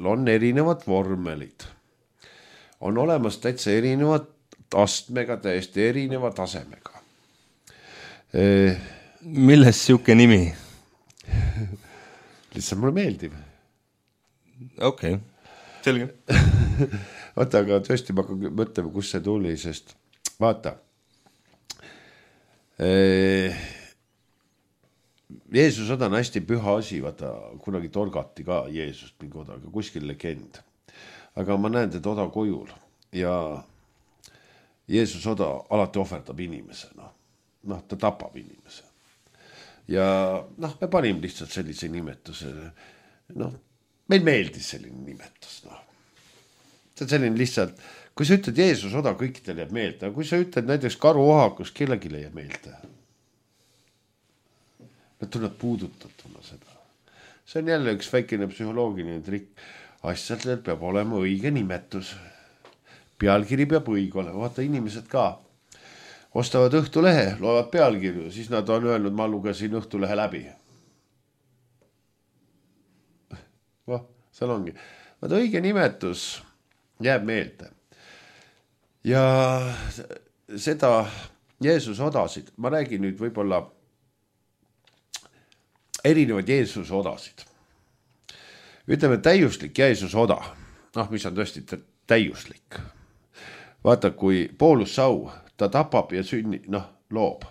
on erinevad vormelid. On olemas täitsa erinevad astmega, täiesti erineva tasemega. Milles siuke nimi? Lihtsalt mulle meeldib. Okei. Selge. Vaata, aga tõesti ma mõtlema, kus see tuli, sest vaata, Jeesus oda on hästi püha asi, vaata, kunagi torgati ka Jeesust mingi oda, aga kuskil legend. Aga ma näen teda oda kojul ja Jeesus oda alati ohverdab inimese, ta tapab inimese. Ja me panime lihtsalt sellise nimetuse, meil meeldis selline nimetus, See on selline lihtsalt, kui sa ütled Jeesus oda, kõikidel jääb meelde, aga kui sa ütled näiteks karuohakus, kellelgi jääb meelde. Nad tunneb puudutatuna seda. See on jälle üks väikene psühholoogiline trikk. Asjadel peab olema õige nimetus. Pealkiri peab õige olema. Vaata, inimesed ka ostavad Õhtulehe, loevad pealkirju, siis nad on öelnud, ma lugesin Õhtulehe läbi. Seal ongi. Vaata, õige nimetus jääb meelde. Ja seda Jeesus odasid, ma räägin nüüd võib-olla erinevad Jeesuse odasid. Ütleme, täiuslik Jeesuse oda, mis on tõesti täiuslik. Vaata, kui Poolussau, ta tapab ja loob.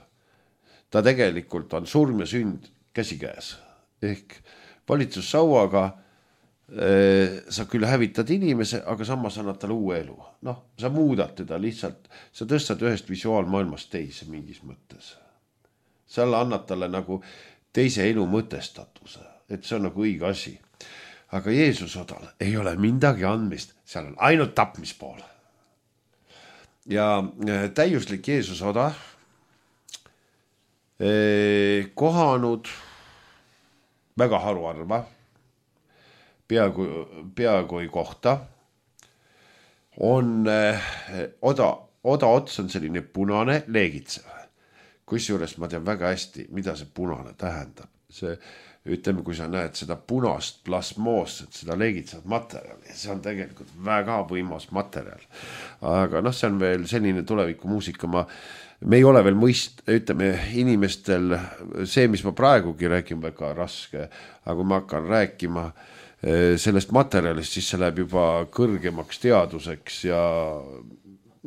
Ta tegelikult on surm ja sünd käsikäes. Ehk valitsussauaga sa küll hävitad inimese, aga samas annad talle uue elu. Sa muudad teda lihtsalt, sa tõstad ühest visuaalmaailmast teise mingis mõttes. Sa annad talle nagu teise elu mõtestatuse, et see on nagu õige asi. Aga Jeesus odal ei ole midagi andmist, seal on ainult tapmispool. Ja täiuslik Jeesus oda kohanud väga haruarva, peaaegu ei kohta, on oda ots on selline punane leegitsev. Kusjuures ma tean väga hästi, mida see punane tähendab. See, ütleme, kui sa näed seda punast plasmoosset, seda leegitsevat materjali, see on tegelikult väga võimas materjal. Aga see on veel selline tulevikumuusika, me ei ole veel ütleme, inimestel see, mis ma praegugi räägin, väga raske, aga kui ma hakkan rääkima sellest materjalist, siis see läheb juba kõrgemaks teaduseks ja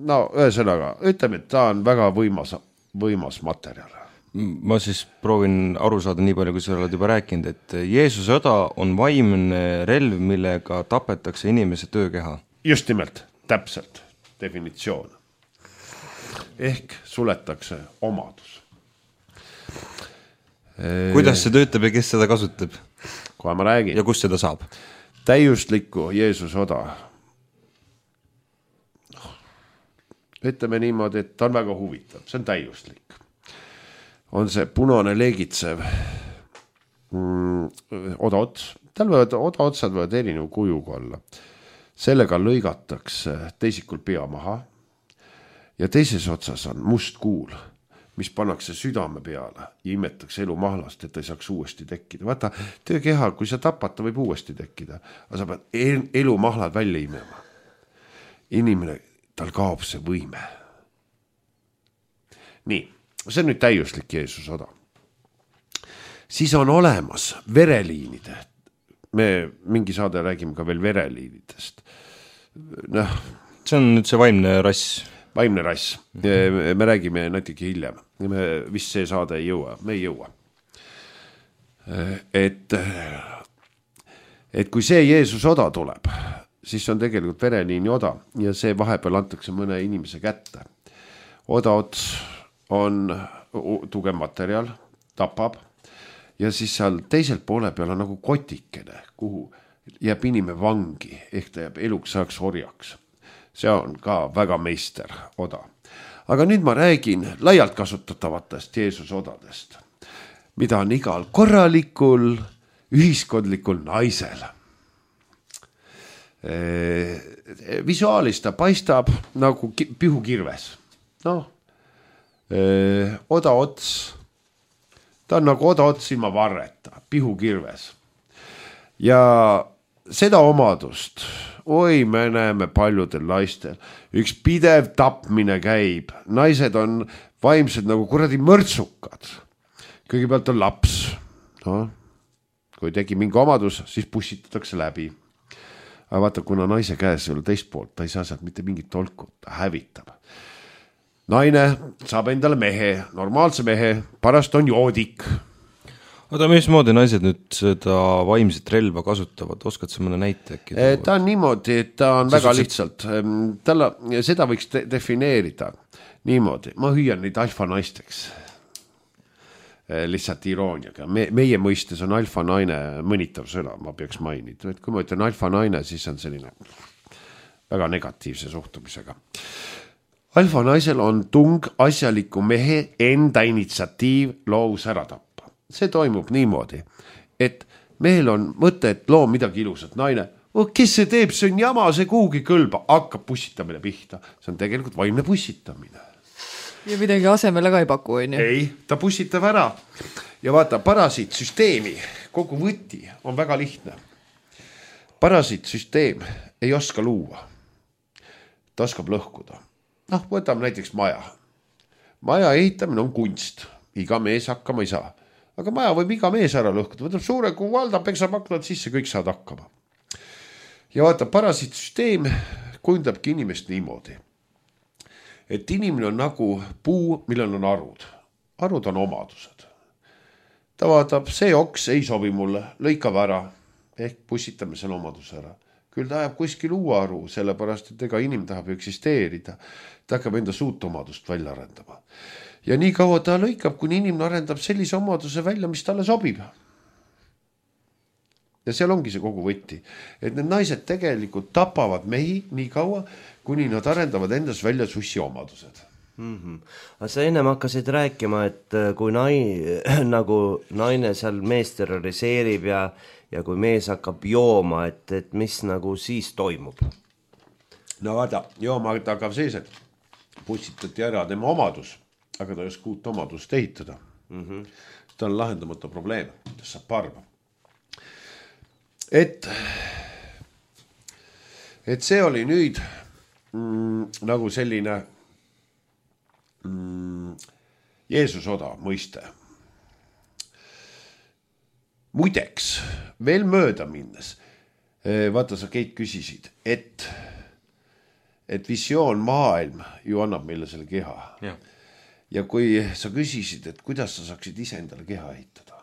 no ühesõnaga, ütleme, et ta on väga võimas materjal. Ma siis proovin aru saada nii palju, kui sa oled juba rääkinud, et Jeesuse õda on vaimne relv, millega tapetakse inimese töökeha. Just nimelt, täpselt, definitsioon. Ehk suletakse omadus. Kuidas see töötab ja kes seda kasutab? Kohe ma räägin. Ja kus seda saab? Täiuslikku Jeesuse oda. Ütleme niimoodi, et ta on väga huvitav, see on täiuslik. On see punane leegitsev odaots. Tal võivad odaotsad võivad erinev kujuga olla. Sellega lõigatakse teisikul pea maha ja teises otsas on must kuul, mis pannakse südame peale ja imetakse elu mahlast, et ta ei saaks uuesti tekkida. Vaata, töökeha, kui sa tapad, ta võib uuesti tekkida, aga sa pead elu mahlad välja imema. Inimene, tal kaob see võime. Nii, see on nüüd täiuslik Jeesuse oda. Siis on olemas vereliinide. Me mingi saade räägime ka veel vereliinidest. See on nüüd see vaimne rass. Vaimne rass. Me räägime natuke hiljem. Me vist see saade ei jõua. Me ei jõua. Et kui see Jeesuse oda tuleb, siis on tegelikult vereliini oda ja see vahepeal antakse mõne inimese kätte. Odaots on tugev materjal, tapab ja siis seal teisel poole peal on nagu kotikene, kuhu jääb inimene vangi, ehk ta jääb eluks saaks orjaks. See on ka väga meister oda. Aga nüüd ma räägin laialt kasutatavatest Jeesuse odadest, mida on igal korralikul ühiskondlikul naisel. Visuaalis ta paistab nagu pihukirves. Odaots, ta on nagu odaots ilma varreta, pihukirves. Ja seda omadust, me näeme paljudel naistel, üks pidev tapmine käib, naised on vaimsed nagu kuradi mõrtsukad. Kõigepealt on laps, kui tegi mingi omadus, siis pussitatakse läbi. Aga vaata, kuna naise käes ei ole teist poolt, ta ei saa sealt mitte mingit tolku, ta hävitab. Naine saab endale mehe, normaalse mehe, parast on joodik. Oota, mismoodi naised nüüd seda vaimset relva kasutavad? Oskad sa mõne näite äkki? Ta on niimoodi, et ta on väga lihtsalt. Seda võiks defineerida niimoodi. Ma hüüan neid alfa naisteks. Lihtsalt irooniaga. Meie mõistes on alfa naine mõnitav sõna, ma peaks mainida. Kui ma ütlen alfa naine, siis on selline väga negatiivse suhtumisega. Alfa naisel on tung asjaliku mehe enda initsiatiiv loovus ära tappa. See toimub niimoodi, et mehel on mõte, et loo midagi ilusat. Naine, kes see teeb, see on jama, see kuhugi kõlba, hakkab pussitamine pihta. See on tegelikult vaimne pussitamine. Ja midagi asemele ka ei paku, on ju? Ei, ta pussitab ära. Ja vaata, parasiitsüsteemi, kogu võti on väga lihtne. Parasiitsüsteem ei oska luua. Ta oskab lõhkuda. Võtame näiteks maja. Maja ehitamine on kunst. Iga mees hakkama ei saa. Aga maja võib iga mees ära lõhkuda. Võtab suure kuvalda, peksab aknad sisse, kõik saad hakkama. Ja vaata, parasiitsüsteem kujundabki inimest niimoodi. Et inimene on nagu puu, millel on arud. Arud on omadused. Ta vaatab, see oks ei sobi mulle, lõikab ära. Ehk pussitame selle omaduse ära. Küll ta ajab kuskil uue aru, sellepärast, et ega inimene tahab eksisteerida. Ta hakkab enda suut omadust välja arendama. Ja nii kaua ta lõikab, kuni inimene arendab sellise omaduse välja, mis talle sobib. Ja seal ongi see kogu võtti. Et need naised tegelikult tapavad mehi nii kaua, kuni nad arendavad endas välja sussi omadused. Aga sa ennem hakkasid rääkima, et kui nagu naine seal mees terroriseerib ja kui mees hakkab jooma, et mis nagu siis toimub? No vaata, jooma hakkab sees, et pussitati ära tema omadus, aga ta ei oska uut omadust ehitada. Ta on lahendamata probleem, ta saab parma. Et see oli nüüd nagu selline Jeesus oda mõiste. Muideks, veel mööda minnes, Vaata, sa Keit küsisid, et visioon maailm ju annab meile selle keha. Ja kui sa küsisid, et kuidas sa saaksid ise endale keha ehitada,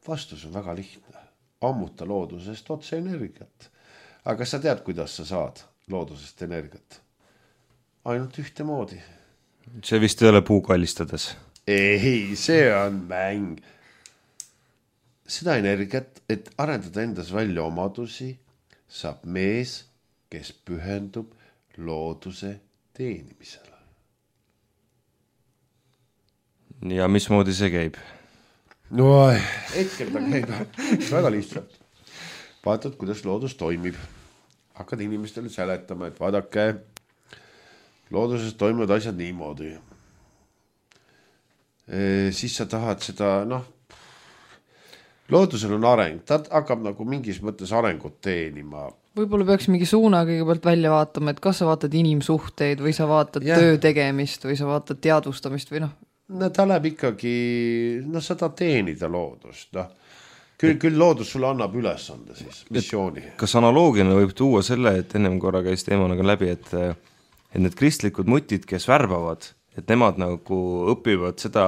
vastus on väga lihtne. Ammuta loodusest otse energiat. Aga kas sa tead, kuidas sa saad loodusest energiat? Ainult ühte moodi. See vist ei ole puu kallistades. Ei, see on mäng. Seda energiat, et arendada endas välja omadusi, saab mees, kes pühendub looduse teenimisele. Ja mismoodi see käib? No, hetkel ta käib väga lihtsalt. Vaatad, kuidas loodus toimib. Hakkad inimestele seletama, et vaadake, looduses toimuvad asjad niimoodi. Siis sa tahad seda, loodusel on areng, ta hakkab nagu mingis mõttes arengut teenima. Võib-olla peaks mingi suuna kõigepealt välja vaatama, et kas sa vaatad inimsuhteid või sa vaatad töö tegemist või sa vaatad teadvustamist või No ta läheb ikkagi, sa tahad teenida loodust, Küll loodus sulle annab ülesande siis, missiooni. Kas analoogina võib tuua selle, et ennem korra käis teemanaga läbi, et need kristlikud mutid, kes värbavad, et nemad nagu õpivad seda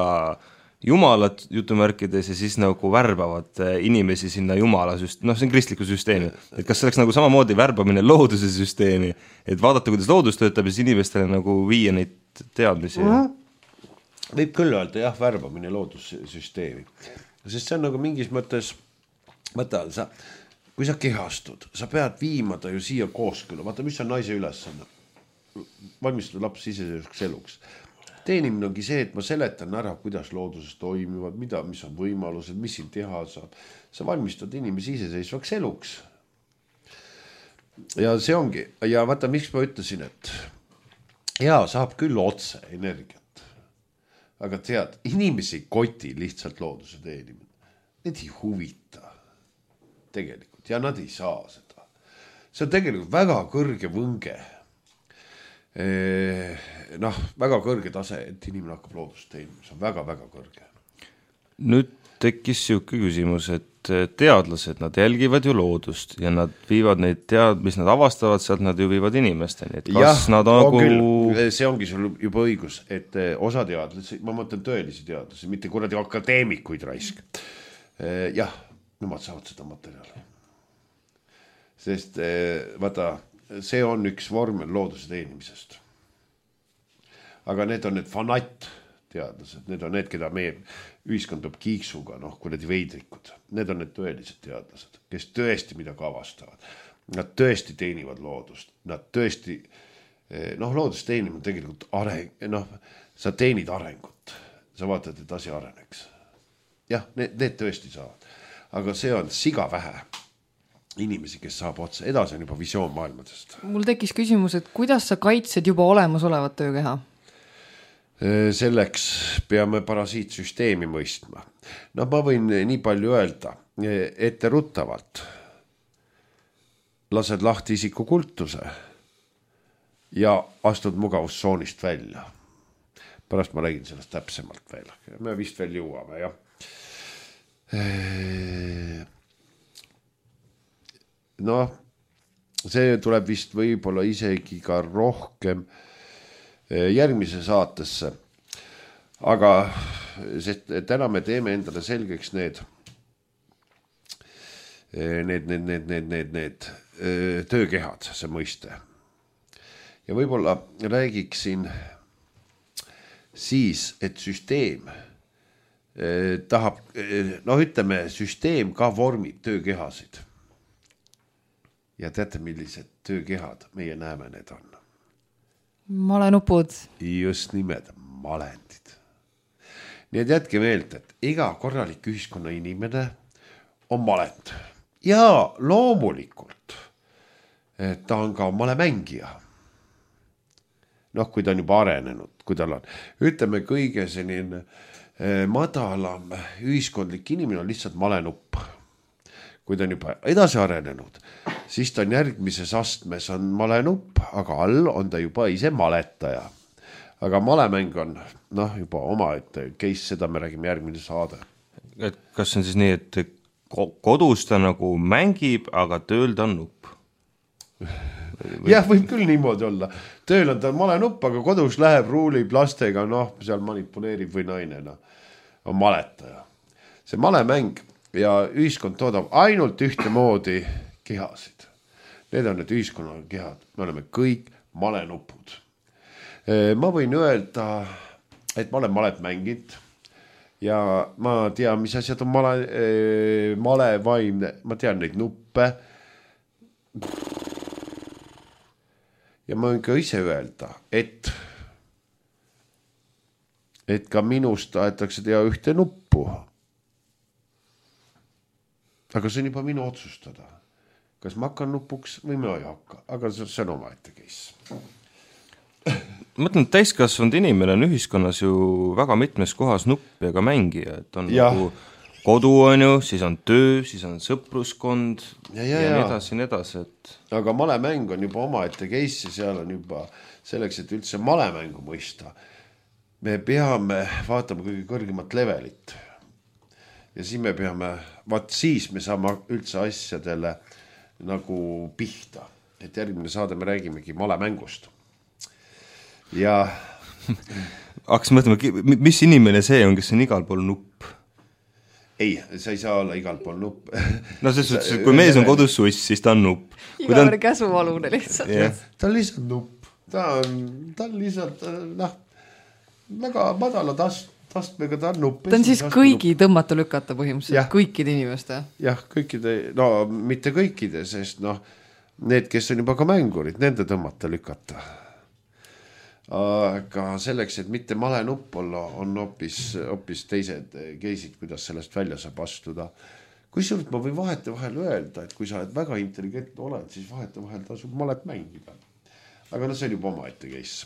jumalat jutumärkides ja siis nagu värbavad inimesi sinna jumala see on kristliku süsteemi. Et kas see oleks nagu samamoodi värbamine looduse süsteemi, et vaadata, kuidas loodus töötab ja siis inimestele nagu viia neid teadmisi? Võib küll öelda, värbamine loodussüsteemi. Sest see on nagu mingis mõttes, kui sa kehastud, sa pead viima ta ju siia kooskõla. Vaata, mis on naise ülesanne? Valmistada laps iseseisvaks eluks. Teenimine ongi see, et ma seletan ära, kuidas looduses toimivad, mis on võimalused, mis siin teha saab. Sa valmistad inimesi iseseisvaks eluks. Ja see ongi. Ja vaata, miks ma ütlesin, et saab küll otse energiat. Aga tead, inimesi koti lihtsalt looduse teenimine. Need ei huvita tegelikult ja nad ei saa seda. See on tegelikult väga kõrge võnge. Väga kõrge tase, et inimene hakkab loodust teenima. See on väga-väga kõrge. Nüüd tekkis siuke küsimus, et teadlased, nad jälgivad ju loodust ja nad viivad neid mis nad avastavad, sealt nad ju viivad inimesteni. Et kas nad on nagu... See ongi sul juba õigus, et osa teadlasi, ma mõtlen tõelisi teadlasi, mitte kuradi akadeemikuid raisk. Nemad saavad seda materjali. Sest vaata, see on üks vorm looduse teenimisest. Aga need on need fanatt-teadlased, need on need, keda meie ühiskond peab kiiksuga, kuradi veidrikud. Need on need tõelised teadlased, kes tõesti midagi avastavad. Nad tõesti teenivad loodust. Nad tõesti, loodust teenima tegelikult sa teenid arengut. Sa vaatad, et asi areneks. Need tõesti saavad. Aga see on siga vähe inimesi, kes saab otse. Edasi on juba visioon maailmadest. Mul tekkis küsimus, et kuidas sa kaitsed juba olemasolevat töökeha? Selleks peame parasiitsüsteemi mõistma. Ma võin nii palju öelda, etteruttavalt lased lahti isikukultuse ja astud mugavustsoonist välja. Pärast ma räägin sellest täpsemalt veel. Me vist veel jõuame, see tuleb vist võib-olla isegi ka rohkem järgmise saatesse. Aga sest täna me teeme endale selgeks need töökehad, see mõiste. Ja võib-olla räägiksin siis, et süsteem tahab, süsteem ka vormib töökehasid. Ja teate, millised töökehad meie näeme need on? Malenupud. Just nimed, malendid. Nii et jätke meelt, et iga korralik ühiskonna inimene on malend. Ja loomulikult ta on ka malemängija. Kui ta on juba arenenud, kui tal on. Ütleme, kõige selline madalam ühiskondlik inimene on lihtsalt malenupp. Kui ta on juba edasi arenenud, siis ta on järgmises astmes on malenupp, aga all on ta juba ise maletaja. Aga malemäng on juba oma, et case, seda me räägime järgmine saade. Et kas on siis nii, et kodus ta nagu mängib, aga tööl ta on nupp? jah, võib küll niimoodi olla. Tööl on ta malenupp, aga kodus läheb, ruulib lastega, noh, seal manipuleerib või naine, noh, on maletaja. See malemäng ja ühiskond toodab ainult ühtemoodi kehasid. Need on need ühiskonna kehad. Me oleme kõik malenupud. Ma võin öelda, et ma olen malet mänginud ja ma tean, mis asjad on malevaimne. Ma tean neid nuppe. Ja ma võin ka ise öelda, et ka minust tahetakse teha ühte nuppu. Aga see on juba minu otsustada. Kas ma hakkan nupuks või ma ei hakka. Aga see on omaette case. Ma mõtlen, et täiskasvanud inimene on ühiskonnas ju väga mitmes kohas nupp ja ka mängija. Et on nagu kodu on ju, siis on töö, siis on sõpruskond ja nii edasi. Et... Aga malemäng on juba omaette case ja seal on juba selleks, et üldse malemängu mõista. Me peame vaatama kõige kõrgemat levelit. Ja siis me peame, siis me saame üldse asjadele nagu pihta. Et järgmine saade me räägimegi malemängust. Ja... Hakkas mõtlema, mis inimene see on, kes on igal pool nupp? Ei, sa ei saa olla igal pool nupp. No selles suhtes, kui mees on kodus suss, siis ta on nupp. Igal käsuvalune lihtsalt. Yeah. Ta on lihtsalt nupp. Ta on lihtsalt, väga madala tastmega ta on nupp. Ta on siis kõigi tõmmata lükata põhimõtteliselt, kõikide inimeste. Jah, kõikide, no mitte kõikide, sest need, kes on juba ka mängurid, nende tõmmata lükata. Aga selleks, et mitte male nupp olla, on hoopis teised keisid, kuidas sellest välja saab astuda. Kui surut ma võin vahete vahel öelda, et kui sa oled väga intelligentne oled, siis vahete vahel tasub malet mängida. Aga see on juba oma ette case.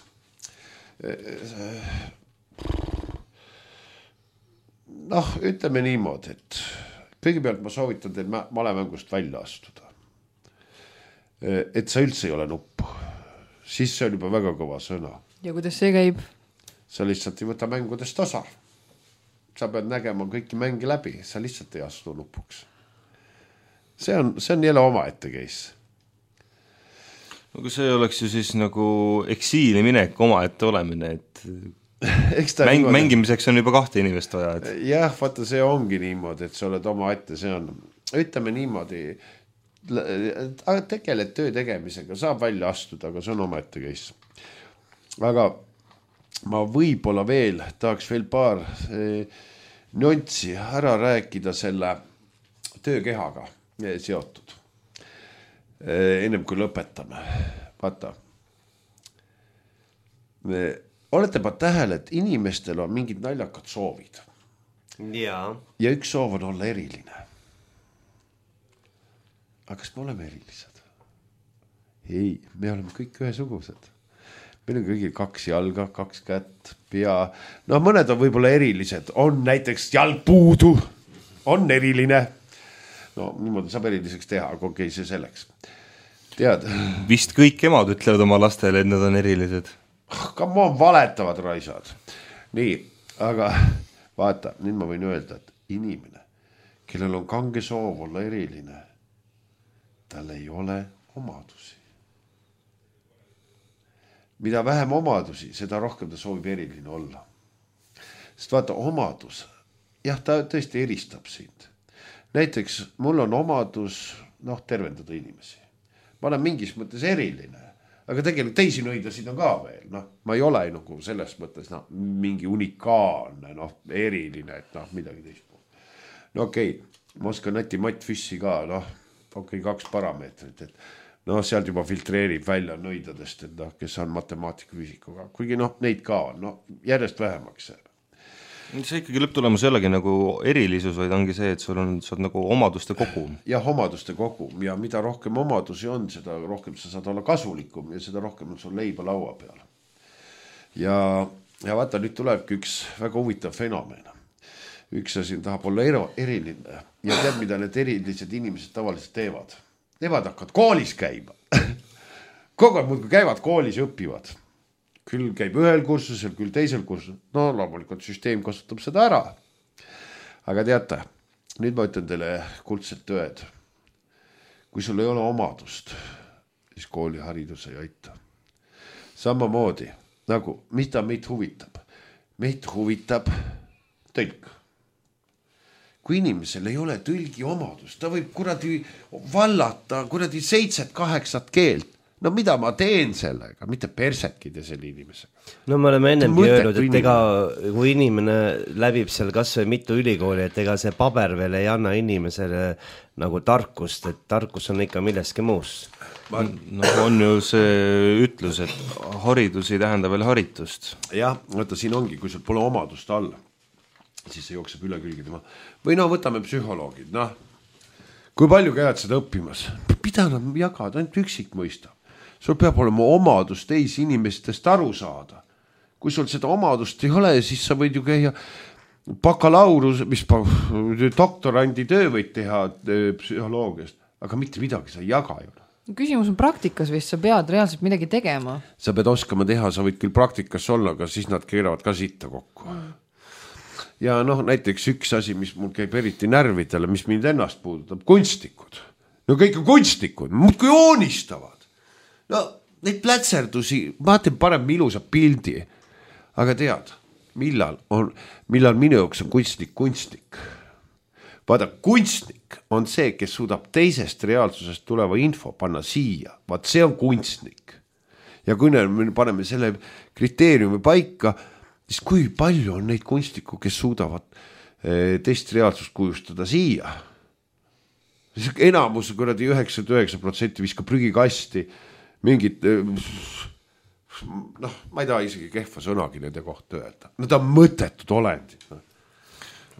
Ütleme niimoodi, et kõigepealt ma soovitan teil malemängust välja astuda. Et sa üldse ei ole nupp. Siis see on juba väga kõva sõna. Ja kuidas see käib? Sa lihtsalt ei võta mängudest osa. Sa pead nägema kõiki mängi läbi. Sa lihtsalt ei astu nupuks. See on jälle oma ette case. No kui see oleks ju siis nagu eksiili minek oma ette olemine, et mängimiseks on juba 2 inimest vaja. Et... Jah, vaata see ongi niimoodi, et sa oled oma ette, see on, ütleme niimoodi, tegeled töö tegemisega, saab välja astuda, aga see on oma ette case. Aga ma võib-olla veel tahaks veel paar nüanssi ära rääkida selle töökehaga seotud. Ennem kui lõpetame. Vaata. Olete pa tähele, et inimestel on mingid naljakad soovid. Ja üks soov on olla eriline. Aga kas me oleme erilised? Ei, me oleme kõik ühesugused. Meil on kõigil 2 jalga, 2 kätt, pea. No mõned on võib-olla erilised. On näiteks jalg puudu. On eriline. No niimoodi saab eriliseks teha, aga okei, see selleks. Tead? Vist kõik emad ütlevad oma lastele, et nad on erilised. Come on, valetavad raisad. Nii, aga vaata, nüüd ma võin öelda, et inimene, kellel on kange soov olla eriline, tal ei ole omadusi. Mida vähem omadusi, seda rohkem ta soovib eriline olla. Sest vaata, omadus, jah, ta tõesti eristab sind. Näiteks mul on omadus, tervendada inimesi. Ma olen mingis mõttes eriline, aga tegelikult teisi nõidasid on ka veel. Ma ei ole nagu selles mõttes mingi unikaalne, eriline, et midagi teist. No okei, ma oskan Nati Matt Füssi ka, 2 parameetrit, et sealt juba filtreerib välja nõidadest, et kes on matemaatika füüsikuga. Kuigi neid ka on, järjest vähemaks. See ikkagi lõpptulemus jällegi nagu erilisus, vaid ongi see, et sul on nagu omaduste kogum. Jah, omaduste kogum ja mida rohkem omadusi on, seda rohkem sa saad olla kasulikum ja seda rohkem on sul leiba laua peal. Ja vaata, nüüd tulebki üks väga huvitav fenomen. Üks asi tahab olla eriline ja tead, mida need erilised inimesed tavaliselt teevad. Nemad hakkavad koolis käima. Kogu aeg muudkui käivad koolis ja õpivad. Küll käib ühel kursusel, küll teisel kursusel. Loomulikult süsteem kasutab seda ära. Aga teate, nüüd ma ütlen teile kuldset tööd. Kui sul ei ole omadust, siis kooliharidus ei aita. Samamoodi nagu, mida meid huvitab? Meid huvitab tõlk. Kui inimesel ei ole tõlgi omadust, ta võib kuradi vallata kuradi 7-8 keelt. No mida ma teen sellega, mitte persekide selle inimesega. No me oleme ennemgi öelnud, et ega kui inimene läbib seal kas või mitu ülikooli, et ega see paber veel ei anna inimesele nagu tarkust, et tarkus on ikka milleski muus. No on ju see ütlus, et haridus ei tähenda veel haritust. Jah, võtta siin ongi, kui sul pole omadust all, siis see jookseb üle külge tema. Või no võtame psühholoogid, noh. Kui palju käivad seda õppimas? Mida nad jagavad, ainult üksik mõistab. Sul peab olema omadus teisi inimestest aru saada. Kui sul seda omadust ei ole, siis sa võid ju käia bakalaurus, mis doktorandi töö võid teha psühholoogiast, aga mitte midagi sa ei jaga ju. Küsimus on praktikas vist, sa pead reaalselt midagi tegema. Sa pead oskama teha, sa võid küll praktikas olla, aga siis nad keeravad ka sitta kokku. Ja noh, näiteks üks asi, mis mul käib eriti närvidele, mis mind ennast puudutab, kunstnikud. No kõik on kunstnikud, muudkui joonistavad. No neid plätserdusi, ma teen parem ilusa pildi, aga tead, millal minu jaoks on kunstnik. Vaada, kunstnik on see, kes suudab teisest reaalsusest tuleva info panna siia. Vaat see on kunstnik. Ja kui me paneme selle kriteeriumi paika, siis kui palju on neid kunstniku, kes suudavad teist reaalsust kujustada siia. Enamus kuradi 99% viskab prügikasti mingid, noh, ma ei taha isegi kehva sõnagi nende kohta öelda. Nad on mõttetud olendid.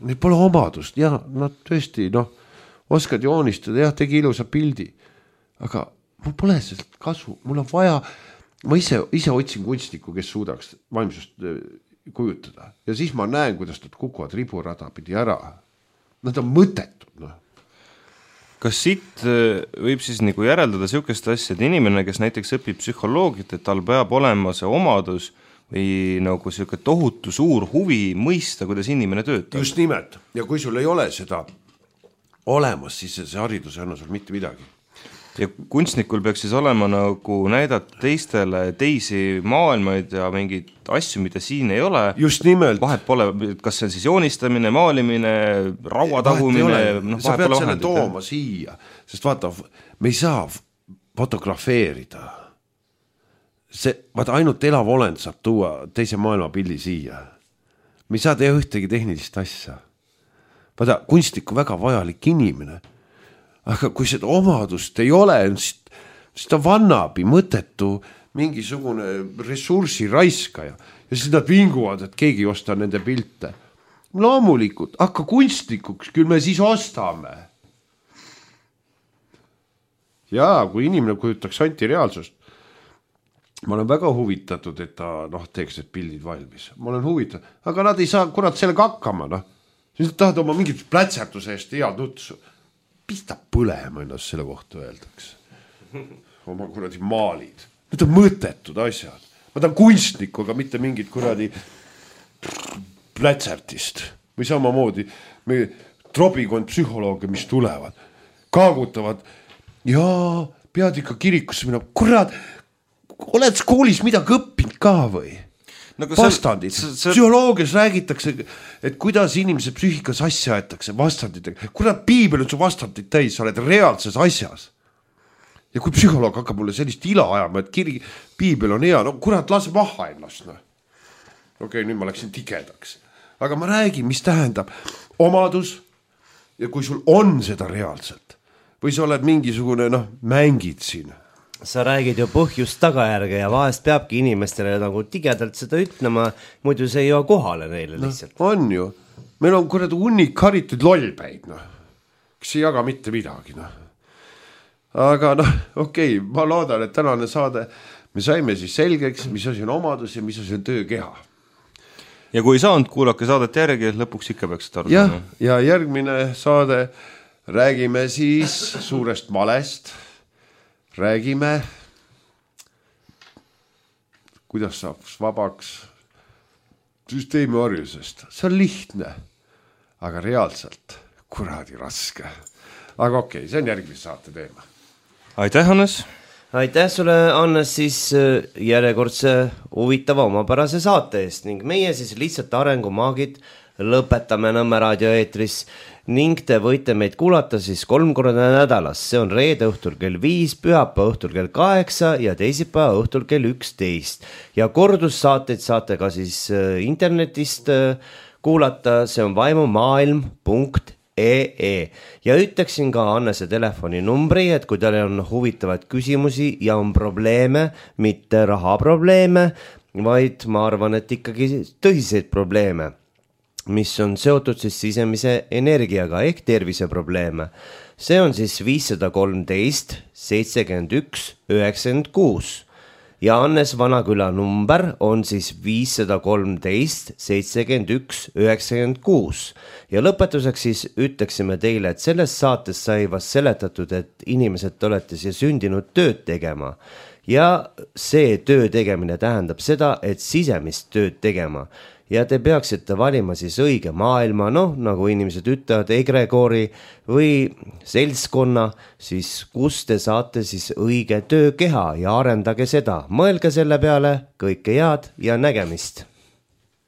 Neil pole omadust, ja nad tõesti, noh, oskad joonistada, jah, tegi ilusa pildi, aga mul pole sellest kasu, mul on vaja, ma ise otsin kunstniku, kes suudaks vaimsust kujutada ja siis ma näen, kuidas nad kukuvad riburada pidi ära. Nad on mõttetud, noh. Kas siit võib siis nagu järeldada sihukest asja, et inimene, kes näiteks õpib psühholoogiat, et tal peab olema see omadus või nagu sihuke tohutu suur huvi mõista, kuidas inimene töötab? Just nimelt. Ja kui sul ei ole seda olemas, siis see haridus ei anna sul mitte midagi. Ja kunstnikul peaks siis olema nagu näidata teistele teisi maailmaid ja mingeid asju, mida siin ei ole. Just nimelt. Vahet pole, kas see on siis joonistamine, maalimine, rauatagumine. Sa pead selle tooma siia, sest vaata, me ei saa fotografeerida. Vaata, ainult elav olend saab tuua teise maailma pildi siia. Me ei saa teha ühtegi tehnilist asja. Vaata, kunstnik on väga vajalik inimene. Aga kui seda omadust ei ole, siis ta vannabi mõttetu mingisugune ressursi raiskaja ja siis nad vinguvad, et keegi osta nende pilte. Loomulikult, hakka kunstnikuks, küll me siis ostame. Jaa, kui inimene kujutaks antireaalsust, ma olen väga huvitatud, et ta teeks need pildid valmis. Ma olen huvitatud, aga nad ei saa kurat sellega hakkama. Siis nad tahavad oma mingit plätsertuse eest head nutsu. Pista põlema ennast selle kohta öeldaks. Oma kuradi maalid. Need on mõttetud asjad. Ma tahan kunstniku, aga mitte mingit kuradi plätsertist. Või samamoodi me trobikond psühholooge, mis tulevad, kaagutavad ja pead ikka kirikusse minna. Kurat, oled koolis midagi õppinud ka või? Vastandid. Psühholoogias räägitakse, et kuidas inimese psüühikas asja aetakse vastanditega. Kurat, piibel on su vastandid täis, sa oled reaalses asjas. Ja kui psühholoog hakkab mulle sellist ila ajama, et piibel on hea, no kurat, lase maha ennast. Okei, nüüd ma läksin tigedaks. Aga ma räägin, mis tähendab omadus ja kui sul on seda reaalselt või sa oled mingisugune, mängid siin. Sa räägid ju põhjust tagajärge ja vahest peabki inimestele nagu tigedalt seda ütlema, muidu see ei jõua kohale neile lihtsalt. On ju. Meil on kuradi hunnik haritud lollpäid, kes ei jaga mitte midagi. Aga okei, ma loodan, et tänane saade me saime siis selgeks, mis asi on omadus ja mis asi on töökeha. Ja kui ei saanud, kuulake saadet järgi, lõpuks ikka peaks seda arutama. Ja järgmine saade räägime siis suurest malest. Räägime, kuidas saab vabaks süsteemi orjusest. See on lihtne, aga reaalselt kuradi raske. Aga okei, see on järgmise saate teema. Aitäh, Hannes! aitäh sulle, Annes, siis järjekordse huvitava omapärase saate eest ning meie siis lihtsalt arengumaagid lõpetame Nõmme raadio eetris ning te võite meid kuulata siis 3 korda nädalas, see on reede õhtul kell 5, pühapäeva õhtul kell 8 ja teisipäeva õhtul kell 11 ja kordussaateid saate ka siis internetist kuulata, see on vaimumaailm.ee ja ütleksin ka Annese telefoninumbri, et kui teil on huvitavaid küsimusi ja on probleeme, mitte rahaprobleeme, vaid ma arvan, et ikkagi tõsiseid probleeme, mis on seotud siis sisemise energiaga ehk terviseprobleeme. See on siis 513 71 96 ja Annes Vanaküla number on siis 513 71 96 ja lõpetuseks siis ütleksime teile, et selles saates sai vast seletatud, et inimesed olete siia sündinud tööd tegema ja see töö tegemine tähendab seda, et sisemist tööd tegema ja te peaksite valima siis õige maailma, nagu inimesed ütlevad, egregoori või seltskonna, siis kus te saate siis õige töökeha ja arendage seda. Mõelge selle peale, kõike head ja nägemist.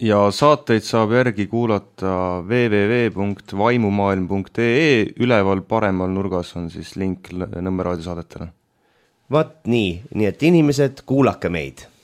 Ja saateid saab järgi kuulata www.vaimumaailm.ee, üleval paremal nurgas on siis link Nõmme raadiosaadetele. Vaat nii et inimesed, kuulake meid.